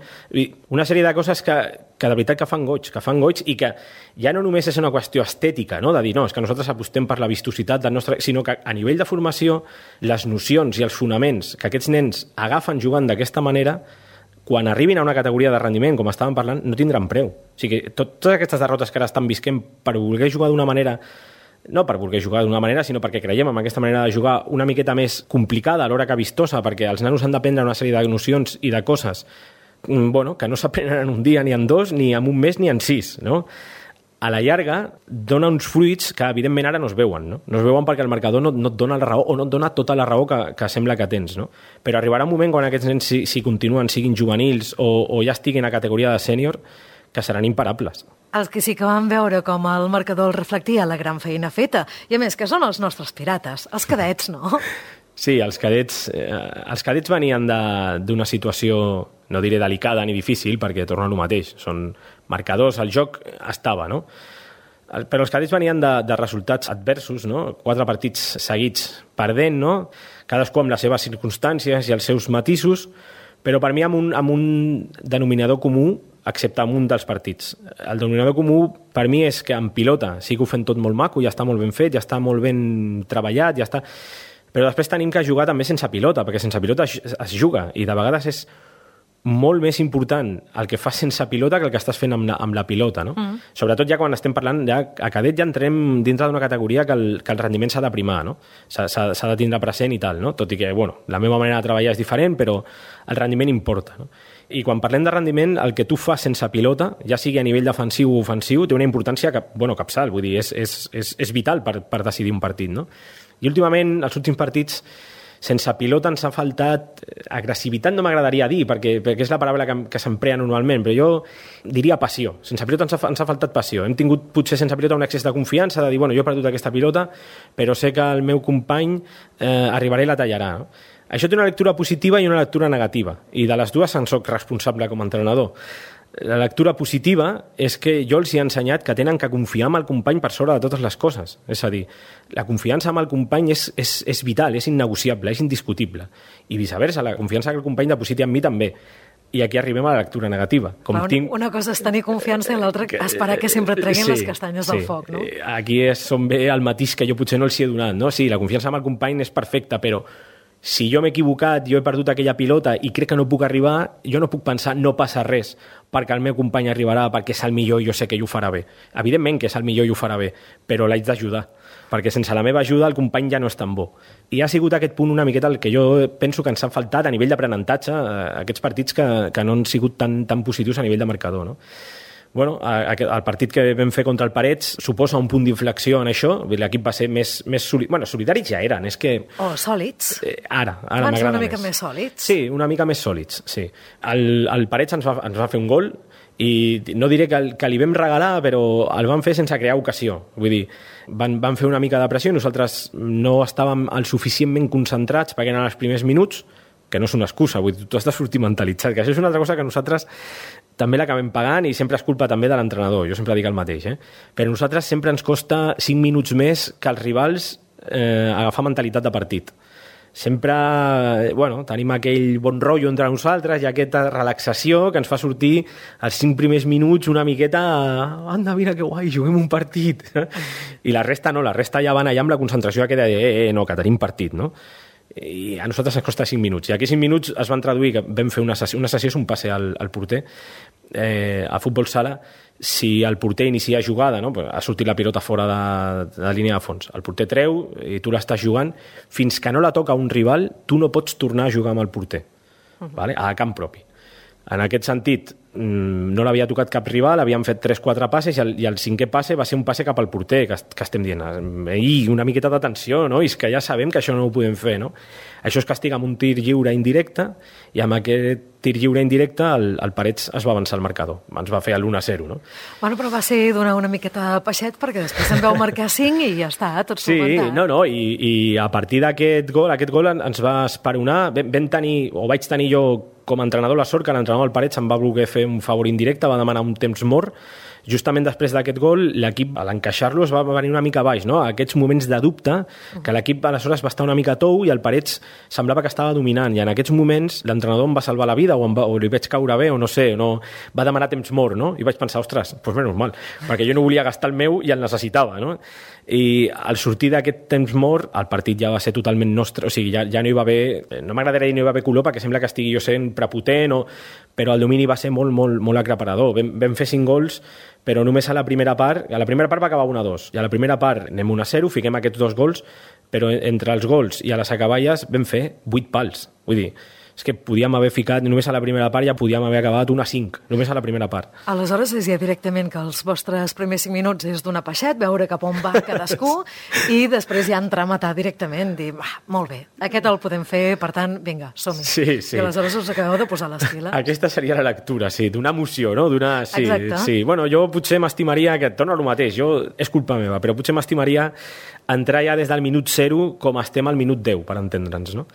una sèrie de coses que de veritat que fan goig i que ja no només és una qüestió estètica, no? De dir, no, és que nosaltres apostem per la vistositat del nostre... sinó que a nivell de formació, les nocions i els fonaments que aquests nens agafen jugant d'aquesta manera, quan arribin a una categoria de rendiment, com estàvem parlant, no tindran preu. O sigui, totes aquestes derrotes que ara estan visquent per voler jugar d'una manera, no per voler jugar d'una manera, sinó perquè creiem en aquesta manera de jugar una miqueta més complicada, alhora que vistosa, perquè els nanos han d'aprendre una sèrie de nocions i de coses que no s'aprenen en un dia, ni en 2, ni en un mes, ni en 6, no? A la llarga, dona uns fruits que, evidentment, ara no es veuen, no? No es veuen perquè el marcador no et dona la raó o no et dona tota la raó que sembla que tens, no? Però arribarà un moment quan aquests nens, si continuen, siguin juvenils o ja estiguin a categoria de sènior, que seran imparables. Els que sí que van veure com el marcador reflectia la gran feina feta, i a més que són els nostres pirates, els cadets, no? Sí, els cadets venien d'una situació, no diré delicada ni difícil, perquè torna a lo mateix. Són marcadors, el joc estava, no? Però els cadets venien de resultats adversos, no? 4 partits seguits perdent, no? Cadascú amb les seves circumstàncies i els seus matisos, però per mi amb un denominador comú, excepte amb un dels partits. El denominador comú per mi és que en pilota sí que ho fem tot molt maco, ja està molt ben fet, ja està molt ben treballat, ja està... Però després tenim que jugar també sense pilota, perquè sense pilota es juga, i de vegades és molt més important el que fas sense pilota que el que estàs fent amb la pilota, no? Sobretot ja quan estem parlant, ja a cadet ja entrem dintre d'una categoria que el rendiment s'ha de primar, no? S'ha de tindre present i tal, no? Tot i que, la meva manera de treballar és diferent, però el rendiment importa, no? I quan parlem de rendiment, el que tu fas sense pilota, ja sigui a nivell defensiu o ofensiu, té una importància capçal, vull dir, és vital per decidir un partit, no? I últimament, els últims partits, sense pilota ens ha faltat... Agressivitat no m'agradaria dir, perquè és la paraula que s'emprea normalment, però jo diria passió. Sense pilota ens ha faltat passió. Hem tingut, potser sense pilota, un excés de confiança, de dir, jo he perdut aquesta pilota, però sé que el meu company arribarà i la tallarà. No? Això té una lectura positiva i una lectura negativa, i de les dues en soc responsable com a entrenador. La lectura positiva és que jo els he ensenyat que tenen que confiar en el company per sobre de totes les coses. És a dir, la confiança en el company és vital, és innegociable, és indiscutible. I viceversa, la confiança que el company depositi en mi també. I aquí arribem a la lectura negativa. Una cosa és tenir confiança i l'altra esperar que sempre et treguin les castanyes del foc, no? Aquí és on ve el matís que jo potser no els he donat, no? Sí, la confiança en el company és perfecta, però si jo m'he equivocat, jo he perdut aquella pilota i crec que no puc arribar, jo no puc pensar no passa res perquè el meu company arribarà, perquè és el millor i jo sé que ell ho farà bé. Evidentment que és el millor i ho farà bé, però l'haig d'ajudar, perquè sense la meva ajuda el company ja no és tan bo. I ha sigut aquest punt una miqueta el que jo penso que ens ha faltat a nivell d'aprenentatge, aquests partits que no han sigut tan positius a nivell de marcador, no? El partit que vam fer contra el Parets suposa un punt d'inflexió en això. L'equip va ser més solidaris ja eren, és que... sòlids. Ara m'agrada més. Una mica més sòlids. Sí, una mica més sòlids, sí. El Parets ens va fer un gol i no diré que li vam regalar, però el van fer sense crear ocasió. Vull dir, van fer una mica de pressió i nosaltres no estàvem el suficientment concentrats perquè eren els primers minuts, que no és una excusa, vull dir, tu has de sortir mentalitzat, que això és una altra cosa que nosaltres també l'acabem pagant i sempre és culpa també de l'entrenador, jo sempre dic el mateix, però a nosaltres sempre ens costa 5 minuts més que els rivals agafar mentalitat de partit. Sempre, tenim aquell bon rotllo entre nosaltres i aquesta relaxació que ens fa sortir els 5 primers minuts una miqueta, anda, mira que guai, juguem un partit. I la resta no, la resta ja van allà amb la concentració aquella de, no, que tenim partit, no? I a nosaltres ens costa 5 minuts. I aquí 5 minuts es van traduir que vam fer una sessió és un passe al porter a futbol sala. Si el porter inicia jugada, no? Ha sortit la pilota fora de línia de fons, el porter treu i tu l'estàs jugant, fins que no la toca un rival tu no pots tornar a jugar amb el porter, vale? A camp propi. En aquest sentit, no l'havia tocat cap rival, havíem fet 3-4 passes i el 5è passe va ser un passe cap al porter, que estem dient, una miqueta d'atenció, no? I és que ja sabem que això no ho podem fer, no? Això es castiga amb un tir lliure indirecte, i amb aquest tir lliure indirecte el Parets es va avançar al marcador, ens va fer l'1-0, no? Bueno, però va ser donar una miqueta peixet, perquè després en vau marcar 5 i ja està, tot solventat. Sí, i a partir d'aquest gol ens va esperonar, vaig tenir jo com a entrenador la sort que l'entrenador del Parets em va voler fer un favor indirecte, va demanar un temps mort. Justament després d'aquest gol, l'equip, a l'encaixar-lo, es va venir una mica baix, no? Aquests moments de dubte, que l'equip aleshores va estar una mica tou i el Parets semblava que estava dominant, i en aquests moments l'entrenador em va salvar la vida, o li vaig caure bé, o no sé, va demanar temps mort, no? I vaig pensar, ostres, doncs menys mal, perquè jo no volia gastar el meu i el necessitava, no? I al sortir d'aquest temps mort, el partit ja va ser totalment nostre, o sigui, ja no hi va haver, no m'agradaria dir no hi va haver color, perquè sembla que estigui jo sent prepotent, però el domini va ser molt, molt, molt aclaparador. Vam fer 5 gols, però només a la primera part va acabar 1-2, i a la primera part anem 1-0, fiquem aquests 2 gols, però entre els gols i a les acaballes vam fer 8 pals, vull dir, és que podíem haver ficat, només a la primera part ja podíem haver acabat 1-5, només a la primera part. Aleshores és ja directament que els vostres primers 5 minuts és donar peixet, veure cap on va cadascú, i després ja entrar a matar directament, dir, molt bé, aquest el podem fer, per tant, vinga, som-hi. Sí. I aleshores us acabeu de posar les piles. Aquesta seria la lectura, sí, d'una emoció, no? Exacte. Sí. Bueno, jo potser m'estimaria, que torno al mateix, és culpa meva, però potser m'estimaria entrar ja des del minut 0 com estem al minut 10, per entendre'ns, no?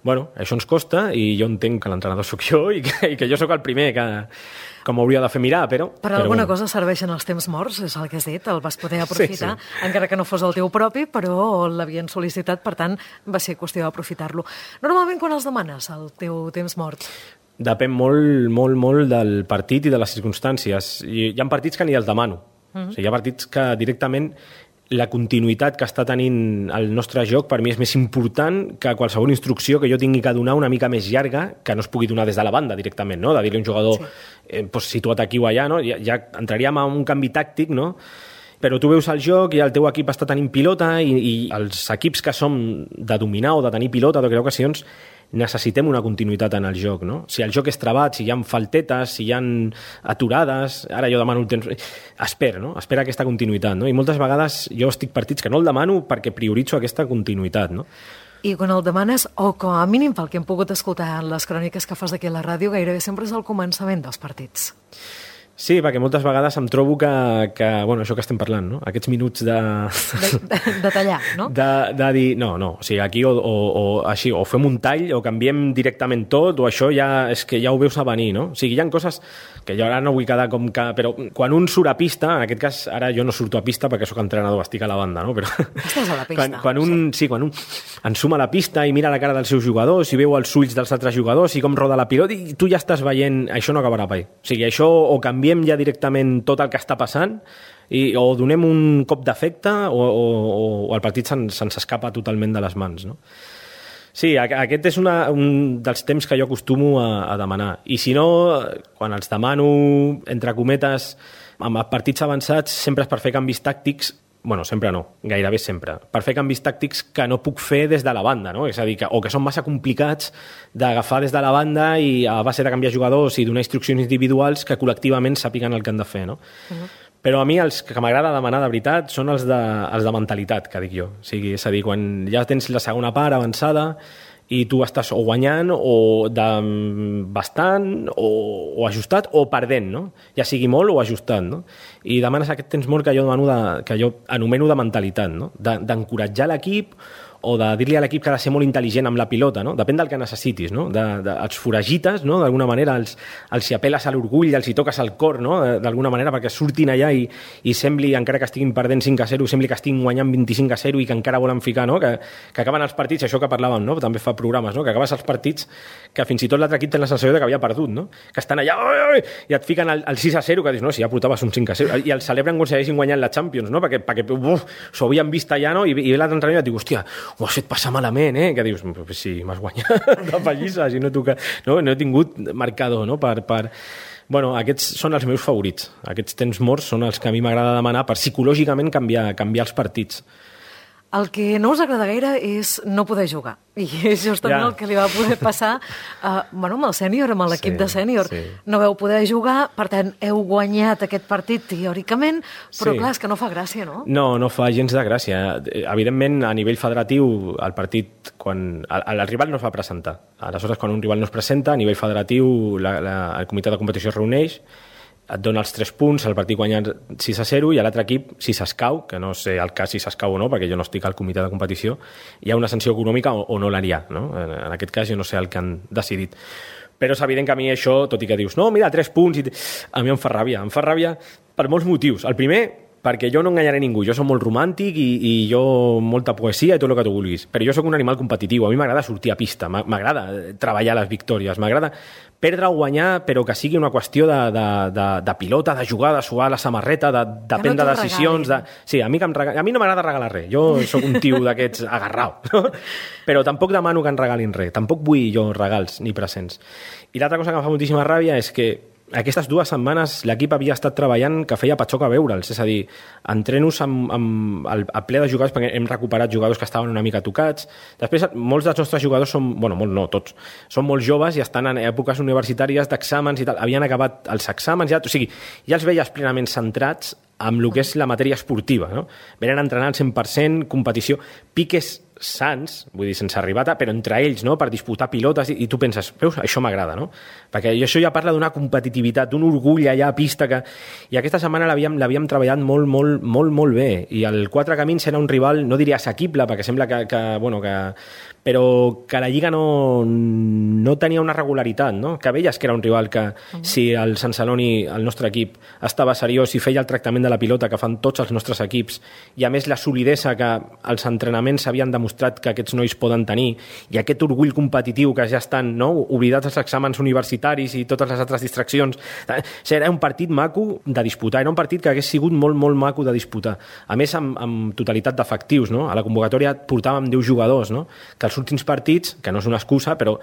Bueno, això ens costa, i jo entenc que l'entrenador sóc jo i que jo sóc el primer que m'hauria de fer mirar, però... Per alguna cosa serveixen els temps morts, és el que has dit, el vas poder aprofitar, sí. Encara que no fos el teu propi, però l'havien sol·licitat, per tant, va ser qüestió d'aprofitar-lo. Normalment, quan els demanes, el teu temps mort? Depèn molt, molt, molt del partit i de les circumstàncies. Hi ha partits que ni els demano. O sigui, hi ha partits que directament la continuïtat que està tenint el nostre joc per mi és més important que qualsevol instrucció que jo tingui que donar una mica més llarga, que no es pugui donar des de la banda directament, no? De dir-li a un jugador situat aquí o allà, no? Ja entraríem a un canvi tàctic, no? Però tu veus el joc i el teu equip està tenint pilota i els equips que som de dominar o de tenir pilota en aquelles ocasions necessitem una continuïtat en el joc, no? Si el joc és trabat, si hi ha faltetes, si hi ha aturades, ara jo demano el temps... Espera aquesta continuïtat, no? I moltes vegades jo estic partits que no el demano perquè prioritzo aquesta continuïtat, no? I quan el demanes, o com a mínim pel que hem pogut escoltar en les cròniques que fas aquí a la ràdio, gairebé sempre és el començament dels partits. Sí, perquè moltes vegades em trobo que bueno, això que estem parlant, no? Aquests minuts de tallar, no? De dir, no, o sigui, aquí o així, o fem un tall, o canviem directament tot, o això ja és que ja ho veus a venir, no? O sigui, hi ha coses que jo ara no vull quedar com que... Però quan un surt a pista, en aquest cas, ara jo no surto a pista perquè sóc entrenador, estic a la banda, no? Però estàs a la pista. Quan un ensuma la pista i mira la cara dels seus jugadors i veu els ulls dels altres jugadors i com roda la pilota, i tu ja estàs veient, això no acabarà mai. O sigui, això o canviem ja directament tot el que està passant o donem un cop d'efecte o el partit se'ns escapa totalment de les mans, no? Sí, aquest és un dels temps que jo acostumo a demanar. I si no, quan els demano, entre cometes, amb partits avançats, sempre és per fer canvis tàctics. Bueno, sempre no, gairebé sempre. Per fer canvis tàctics que no puc fer des de la banda, no? És a dir, o que són massa complicats d'agafar des de la banda i a base de canviar jugadors i donar instruccions individuals que col·lectivament sàpiguen el que han de fer, no? Però a mi els que m'agrada demanar de veritat són els de mentalitat, que dic jo. O sigui, és a dir, quan ja tens la segona part avançada i tu estàs o guanyant o bastant o ajustat o perdent, no? Ja sigui molt o ajustat, no? I demanes aquest temps mort que jo anomeno de mentalitat, no? D'encoratjar l'equip o de dir-li a l'equip que ha de ser molt intel·ligent amb la pilota, no? Depèn del que necessitis, no? Els foragites, no? D'alguna manera els hi apel·les a l'orgull, els hi toques al cor, no? D'alguna manera perquè surtin allà i sembli, encara que estiguin perdent 5-0, sembli que estiguin guanyant 25-0 i que encara volen ficar, no? Que acaben els partits, això que parlàvem, no? També fa programes, no? Que acabes els partits que fins i tot l'altre equip té la sensació que havia perdut, no? Que estan allà i et fiquen el 6-0, que dius, no, si ja portaves un 5-0, i el celebren com si haguessin guanyat la Champions, no? Perquè s'ho havien vist allà, no? I l'altre entrenador et diu, hòstia, ho has fet passar malament, que dius, sí, m'has guanyat de pallissa, si no he tingut marcador, no? Bueno, aquests són els meus favorits. Aquests temps morts són els que a mi m'agrada demanar per psicològicament canviar els partits. El que no us agrada gaire és no poder jugar. I és justament el que li va poder passar amb el sènior, amb l'equip de sènior. No veu poder jugar, per tant, heu guanyat aquest partit teòricament, però clar, és que no fa gràcia, no? No fa gens de gràcia. Evidentment, a nivell federatiu, el partit, quan el rival no es va presentar. Aleshores, quan un rival no es presenta, a nivell federatiu, el comitè de competició es reuneix, et dona els 3 punts, el partit guanyat 6-0 i a l'altre equip, si s'escau, que no sé el cas si s'escau o no, perquè jo no estic al comitè de competició, hi ha una sanció econòmica o no l'hi ha, no? En aquest cas jo no sé el que han decidit. Però és evident que a mi això, tot i que dius, no, mira, 3 punts, a mi em fa ràbia per molts motius. El primer, perquè jo no enganyaré ningú, jo soc molt romàntic i jo molta poesia i tot el que tu vulguis, però jo sóc un animal competitiu, a mi m'agrada sortir a pista, m'agrada treballar les victòries, m'agrada perdre o guanyar, però que sigui una qüestió de pilota, de jugar, de suar la samarreta, de prendre decisions. Sí, a mi no m'agrada regalar res, jo sóc un tio d'aquests agarrau, no? Però tampoc demano que em regalin res, tampoc vull jo regals ni presents. I l'altra cosa que em fa moltíssima ràbia és que aquestes 2 setmanes l'equip havia estat treballant que feia patxoca veure'ls, és a dir, entrenos amb el ple de jugadors perquè hem recuperat jugadors que estaven una mica tocats. Després, molts dels nostres jugadors són, tots, són molt joves i estan en èpoques universitàries d'exàmens i tal, havien acabat els exàmens, ja els veies plenament centrats amb el que és la matèria esportiva, no? Venen a entrenar al 100%, competició, piques sans, vull dir, sense arribata, però entre ells, no?, per disputar pilotes, i tu penses, veus, això m'agrada, no? Perquè això ja parla d'una competitivitat, d'un orgull allà a pista que... I aquesta setmana l'havíem treballat molt bé, i el Quatre Camins era un rival, no diria assequible, perquè sembla però que la Lliga no tenia una regularitat, no? Que veies que era un rival que, si el Sant Celoni, el nostre equip, estava seriós i feia el tractament de la pilota que fan tots els nostres equips, i a més la solidesa que els entrenaments havien demostrat que aquests nois poden tenir, i aquest orgull competitiu que ja estan, no?, oblidats els exàmens universitaris i totes les altres distraccions. Era un partit maco de disputar, era un partit que hagués sigut molt maco de disputar. A més, amb totalitat d'efectius, no? A la convocatòria portàvem 10 jugadors, no? Que els últims partits, que no és una excusa, però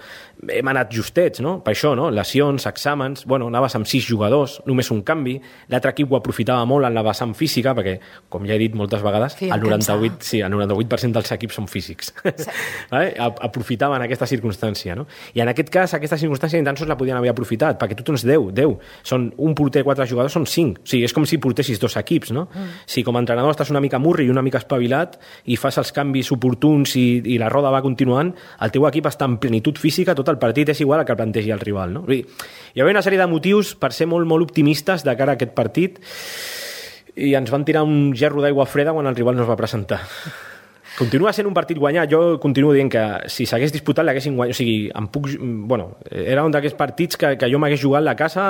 hem anat justets, no? Per això, no? Lesions, exàmens, anaves amb 6 jugadors, només un canvi, l'altre equip ho aprofitava molt en la vessant física, perquè, com ja he dit moltes vegades, el 98% dels equips són físics. Sí. Vale? Aprofitaven aquesta circumstància, no? I en aquest cas, aquesta circumstància ni tan sols la podien haver aprofitat, perquè tu tens 10. Són un porter, 4 jugadors, són 5. O sigui, és com si portessis 2 equips, no? Si com a entrenador estàs una mica murri i una mica espavilat i fas els canvis oportuns i la roda va continuant, el teu equip està en plenitud física, tot el partit és igual al que plantegi el rival, no? Vull dir, hi havia una sèrie de motius per ser molt optimistes de cara a aquest partit i ens van tirar un gerro d'aigua freda quan el rival no es va presentar. Continua sent un partit guanyat. Jo continuo dient que si s'hagués disputat l'haguessin guanyat. O sigui, era un d'aquests partits que jo m'hagués jugat a la casa,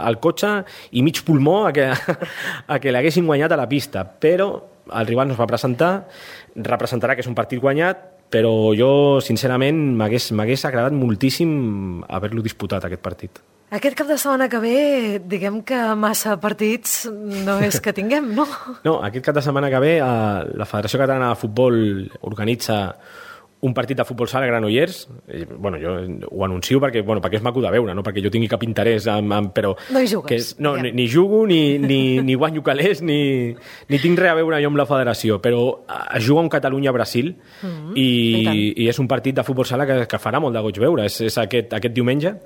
al cotxe i mig pulmó a que l'haguessin guanyat a la pista. Però el rival no es va presentar, representarà que és un partit guanyat, però jo, sincerament, m'hagués agradat moltíssim haver-lo disputat, aquest partit. Aquest cap de setmana que ve, diguem que massa partits no és que tinguem, no? No, aquest cap de setmana que ve la Federació Catalana de Futbol organitza un partit de futbol sala a Granollers. Jo ho anuncio perquè és maco de veure, no perquè jo tingui cap interès, però... No hi jugues. Ni jugo, ni guanyo calés, ni tinc res a veure jo amb la federació, però es juga un Catalunya-Brasil i és un partit de futbol sala que farà molt de goig veure. És aquest diumenge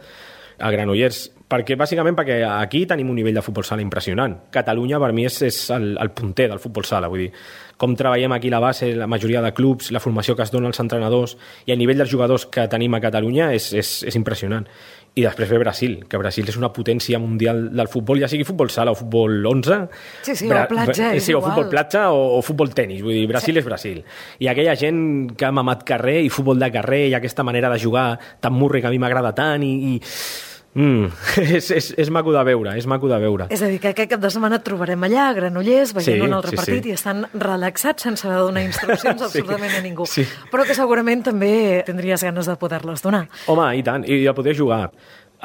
a Granollers, bàsicament perquè aquí tenim un nivell de futbol sala impressionant. Catalunya per mi és el punter del futbol sala, vull dir, com treballem aquí la base, la majoria de clubs, la formació que es dona als entrenadors i el nivell dels jugadors que tenim a Catalunya és impressionant. I després ve Brasil, que Brasil és una potència mundial del futbol, ja sigui futbol sala o futbol 11. Sí, o platja, és igual. O futbol platja o futbol tenis, vull dir, Brasil és Brasil. I aquella gent que ha mamat carrer i futbol de carrer i aquesta manera de jugar tan murri que a mi m'agrada tant és maco de veure, és maco de veure. És a dir, que aquest cap de setmana et trobarem allà, a Granollers, veient un altre partit i estan relaxats sense haver de donar instruccions absolutament a ningú. Sí. Però que segurament també tindries ganes de poder-les donar. Home, i tant, i de poder jugar.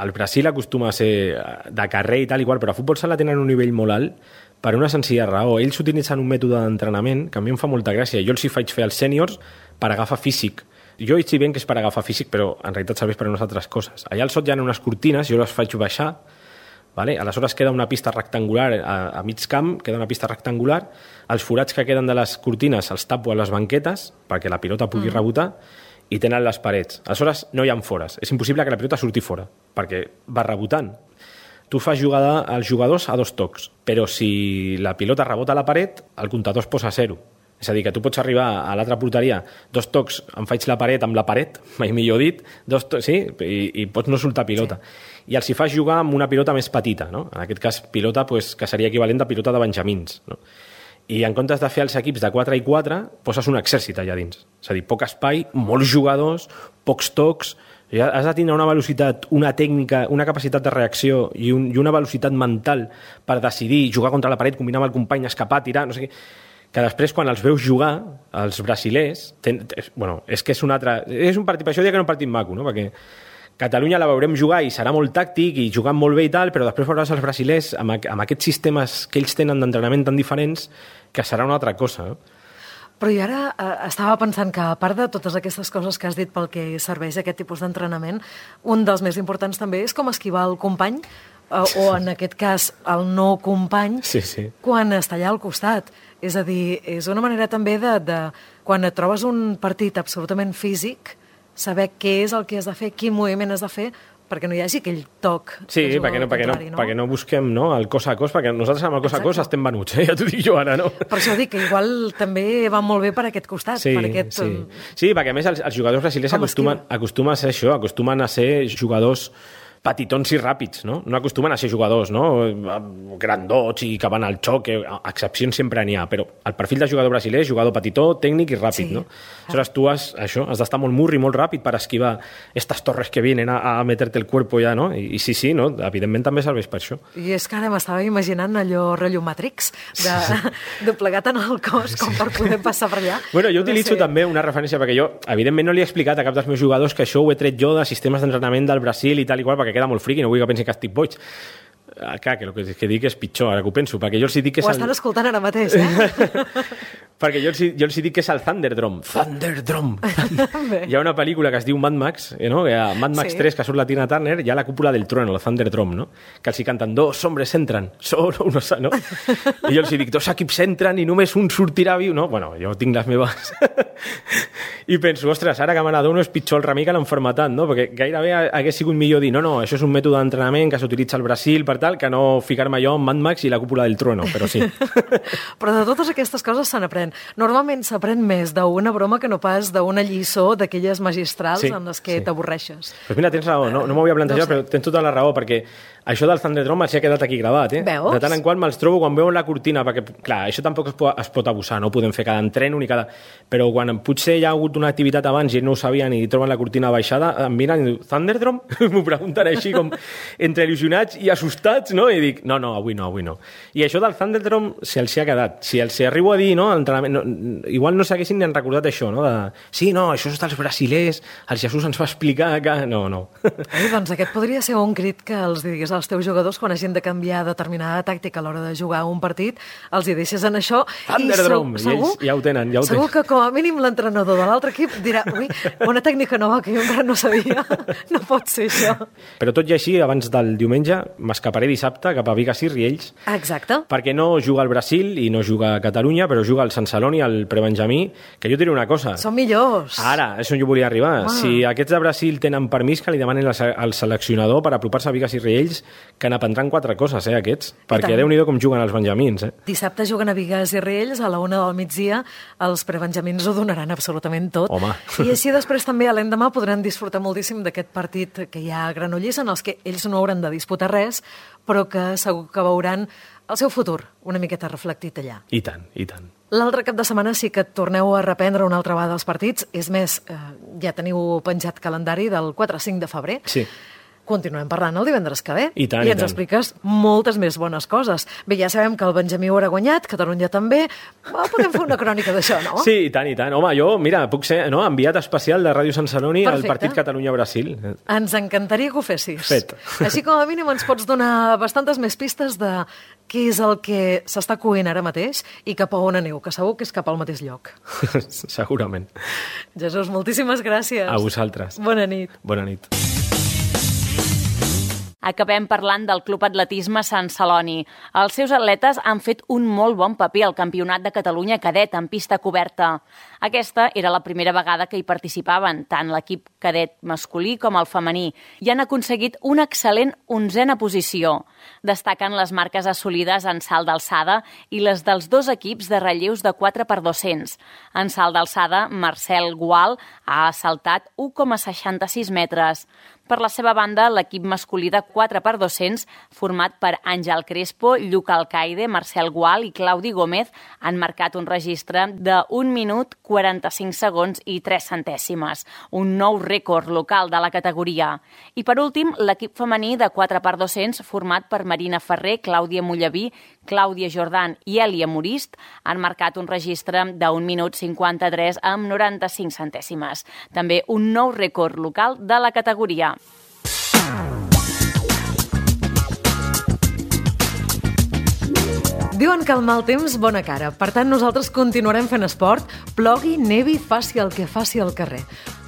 El Brasil acostuma a ser de carrer i tal i qual, però a futbol sala tenen un nivell molt alt per una senzilla raó. Ells utilitzen un mètode d'entrenament que a mi em fa molta gràcia. Jo els hi faig fer als sèniors per agafar físic. Jo hi ben que és per agafar físic, però en realitat serveix per unes altres coses. Allà al sot hi ha unes cortines, jo les faig baixar Vale? Aleshores queda una pista rectangular a mig camp, queda una pista rectangular, els forats que queden de les cortines els tapo a les banquetes perquè la pilota pugui rebotar i tenen les parets. Aleshores no hi ha fores, és impossible que la pilota surti fora perquè va rebotant. Tu fas jugar als jugadors a 2 tocs, però si la pilota rebota a la paret, el comptador es posa a 0. És a dir, que tu pots arribar a l'altra porteria, 2 tocs, em faig la paret amb la paret, mai millor dit, 2 tocs, sí, i pots no soltar pilota. Sí. I els hi fas jugar amb una pilota més petita, no? En aquest cas, pilota pues, que seria equivalent a pilota de benjamins. No? I en comptes de fer els equips de 4 i 4, poses un exèrcit allà dins. És a dir, poc espai, molts jugadors, pocs tocs, ja has de tenir una velocitat, una tècnica, una capacitat de reacció i una velocitat mental per decidir jugar contra la paret, combinar amb el company, escapar, tirar, no sé què, que després, quan els veus jugar, els brasilers, és que és un altre... És un partit, per això diria que és un partit maco, no? Perquè Catalunya la veurem jugar i serà molt tàctic i jugant molt bé i tal, però després veuràs els brasilers amb aquests sistemes que ells tenen d'entrenament tan diferents que serà una altra cosa, no? Però jo ara estava pensant que, a part de totes aquestes coses que has dit pel que serveix aquest tipus d'entrenament, un dels més importants també és com esquivar el company, o en aquest cas el no company, quan està allà al costat. És a dir, és una manera també de quan et trobes un partit absolutament físic, saber què és el que has de fer, quin moviment has de fer, perquè no hi hagi aquell toc. Sí, perquè no busquem el cos a cos, perquè nosaltres amb el cos a cos estem venuts, ja t'ho dic jo ara, no? Per això dic que igual també va molt bé per aquest costat. Sí, perquè a més els jugadors brasilers acostumen a ser això, acostumen a ser jugadors petitons i ràpids, no? No acostumen a ser jugadors, no? Grandots i que van al xoc, excepcions sempre n'hi ha, però el perfil de jugador brasiler és jugador petitó, tècnic i ràpid, no? Aleshores tu has d'estar molt murri, molt ràpid per esquivar estas torres que vienen a meterte el cuerpo ja, no? I sí, no? Evidentment també serveix per això. I és que ara m'estava imaginant allò rotllo Matrix, de plegar tant el cos com per poder passar per allà. Bueno, jo utilitzo també una referència, perquè jo, evidentment, no li he explicat a cap dels meus jugadors que això ho he tret jo de sistemes d'entrenament del Brasil i tal i qual, perquè queda molt friqui, no vull que pensi que estic boig. Clar, que el que dic és pitjor, ara que ho penso, perquè jo els dic que és... Ho estan escoltant ara mateix, perquè jo els dic que és el Thunderdrum. Thunderdrum! Hi ha una pel·lícula que es diu Mad Max, no? Mad Max 3, que surt la Tina Turner, hi ha la cúpula del trueno, el Thunderdrum, no? Que els hi canten, 2 hombres entran, solo uno, no? I jo els dic, 2 equips entren i només un sortirà viu, no? Bueno, jo tinc les meves... I penso, ostres, ara que Maradona és pitjor el remei que l'enfermetat, no? Perquè gairebé hagués sigut millor dir, no, això és un mètode d'entrenament que s'utilitza al Brasil per tal, que no ficar-me jo amb Mad Max i la cúpula del trueno, però sí. Però de totes aquestes coses se n'aprèn. Normalment s'aprèn més d'una broma que no pas d'una lliçó d'aquelles magistrals en les que t'avorreixes. Pues mira, tens raó, no m'ho havia plantejat, però tens tota la raó, perquè això del Thunderdrum els ha quedat aquí gravat, Veus? De tant en quant me'ls trobo quan veuen la cortina, perquè, clar, això tampoc es pot abusar, no ho podem fer cada entreno ni cada... Però quan potser hi ha hagut una activitat abans i ells no ho sabien i troben la cortina baixada, em miren i diuen, Thunderdrum? M'ho pregunten així com entre il·lusionats i assustats, no? I dic, no, avui no. I això del Thunderdrum se'ls ha quedat. Si els arribo a dir, no, igual no s'haguessin ni recordat això, no? Això és dels brasilers, el Jesús ens va explicar que... No. Doncs aquest podria ser un crit que els digués als teus jugadors quan hagin de canviar determinada tàctica a l'hora de jugar un partit, els hi deixes en això. Thunderdrum! I ells ja ho tenen. Segur que com a mínim l'entrenador de l'altre equip dirà, ui, una tècnica nova que jo encara no sabia. No pot ser això. Però tot i així, abans del diumenge, m'escaparé dissabte cap a Vigas i Riells. Exacte. Perquè no juga al Brasil i no juga a Catalunya, però juga al Sant Celoni, al Prebenjamí, que jo diré una cosa. Són millors. Ara, és on jo volia arribar. Si aquests de Brasil tenen permís, que li demanen al seleccionador per apropar-se a Vigas i Riells, que n'aprendran 4 coses, aquests. Perquè Déu-n'hi-do com juguen els benjamins, Dissabte juguen a Vigas i Riells, a la 1 del migdia. Els prebenjamins ho donaran absolutament tot. Home. I així després també a l'endemà podran disfrutar moltíssim d'aquest partit que hi ha a Granollers, en els que ells no hauran de disputar res, però que segur que veuran el seu futur una miqueta reflectit allà. I tant. L'altre cap de setmana sí que torneu a reprendre una altra vegada els partits. És més, ja teniu penjat calendari del 4-5 de febrer. Sí. Continuem parlant el divendres que ve. I tant, I ens expliques moltes més bones coses. Bé, ja sabem que el Benjamí ho haurà guanyat, Catalunya també. Podem fer una crònica d'això, no? Sí, i tant. Home, jo, mira, puc ser enviat especial de Ràdio Sant Celoni al partit Catalunya-Brasil. Ens encantaria que ho fessis. Fet. Així com a mínim ens pots donar bastantes més pistes de què és el que s'està coent ara mateix i cap a on aneu, que segur que és cap al mateix lloc. Segurament. Jesús, moltíssimes gràcies. A vosaltres. Bona nit. Bona nit. Acabem parlant del Club Atletisme Sant Celoni. Els seus atletes han fet un molt bon paper al Campionat de Catalunya cadet en pista coberta. Aquesta era la primera vegada que hi participaven, tant l'equip cadet masculí com el femení, i han aconseguit una excel·lent 11a posició. Destaquen les marques assolides en salt d'alçada i les dels dos equips de relleus de 4x200. En salt d'alçada, Marcel Gual ha saltat 1,66 metres. Per la seva banda, l'equip masculí de 4x200, format per Àngel Crespo, Lluc Alcaide, Marcel Gual i Claudi Gómez, han marcat un registre de 1 minut, 45 segons i 3 centèsimes, un nou rècord local de la categoria. I per últim, l'equip femení de 4x200, format per Marina Ferrer, Clàudia Mollaví, Clàudia Jordan i Èlia Morist, han marcat un registre de 1 minut 53 amb 95 centèsimes. També un nou rècord local de la categoria. Diuen que el mal temps, bona cara. Per tant, nosaltres continuarem fent esport, plogui, nevi, faci el que faci al carrer.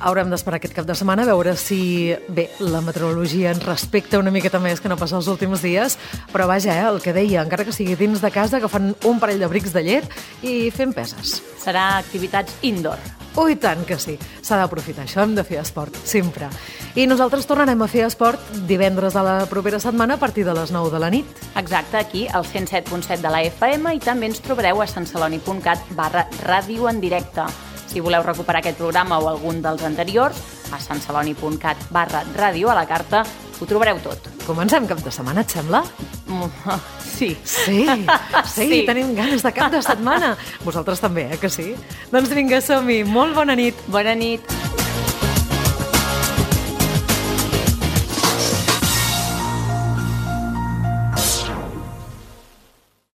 Haurem d'esperar aquest cap de setmana a veure si, bé, la meteorologia ens respecta una miqueta més que no passa els últims dies, però vaja, el que deia, encara que sigui dins de casa, agafant un parell d'abrics de llet i fent peses. Serà activitats indoor. Ui, tant que sí. S'ha d'aprofitar això, hem de fer esport, sempre. I nosaltres tornarem a fer esport divendres de la propera setmana a partir de les 9 de la nit. Exacte, aquí, al 107.7 de la FM, i també ens trobareu a santceloni.cat/ràdio en directe. Si voleu recuperar aquest programa o algun dels anteriors, a santceloni.cat/ràdio a la carta ho trobareu tot. Comencem cap de setmana, et sembla? Sí. Sí, tenim ganes de cap de setmana. Vosaltres també, que sí? Doncs vinga, som-hi. Molt bona nit. Bona nit.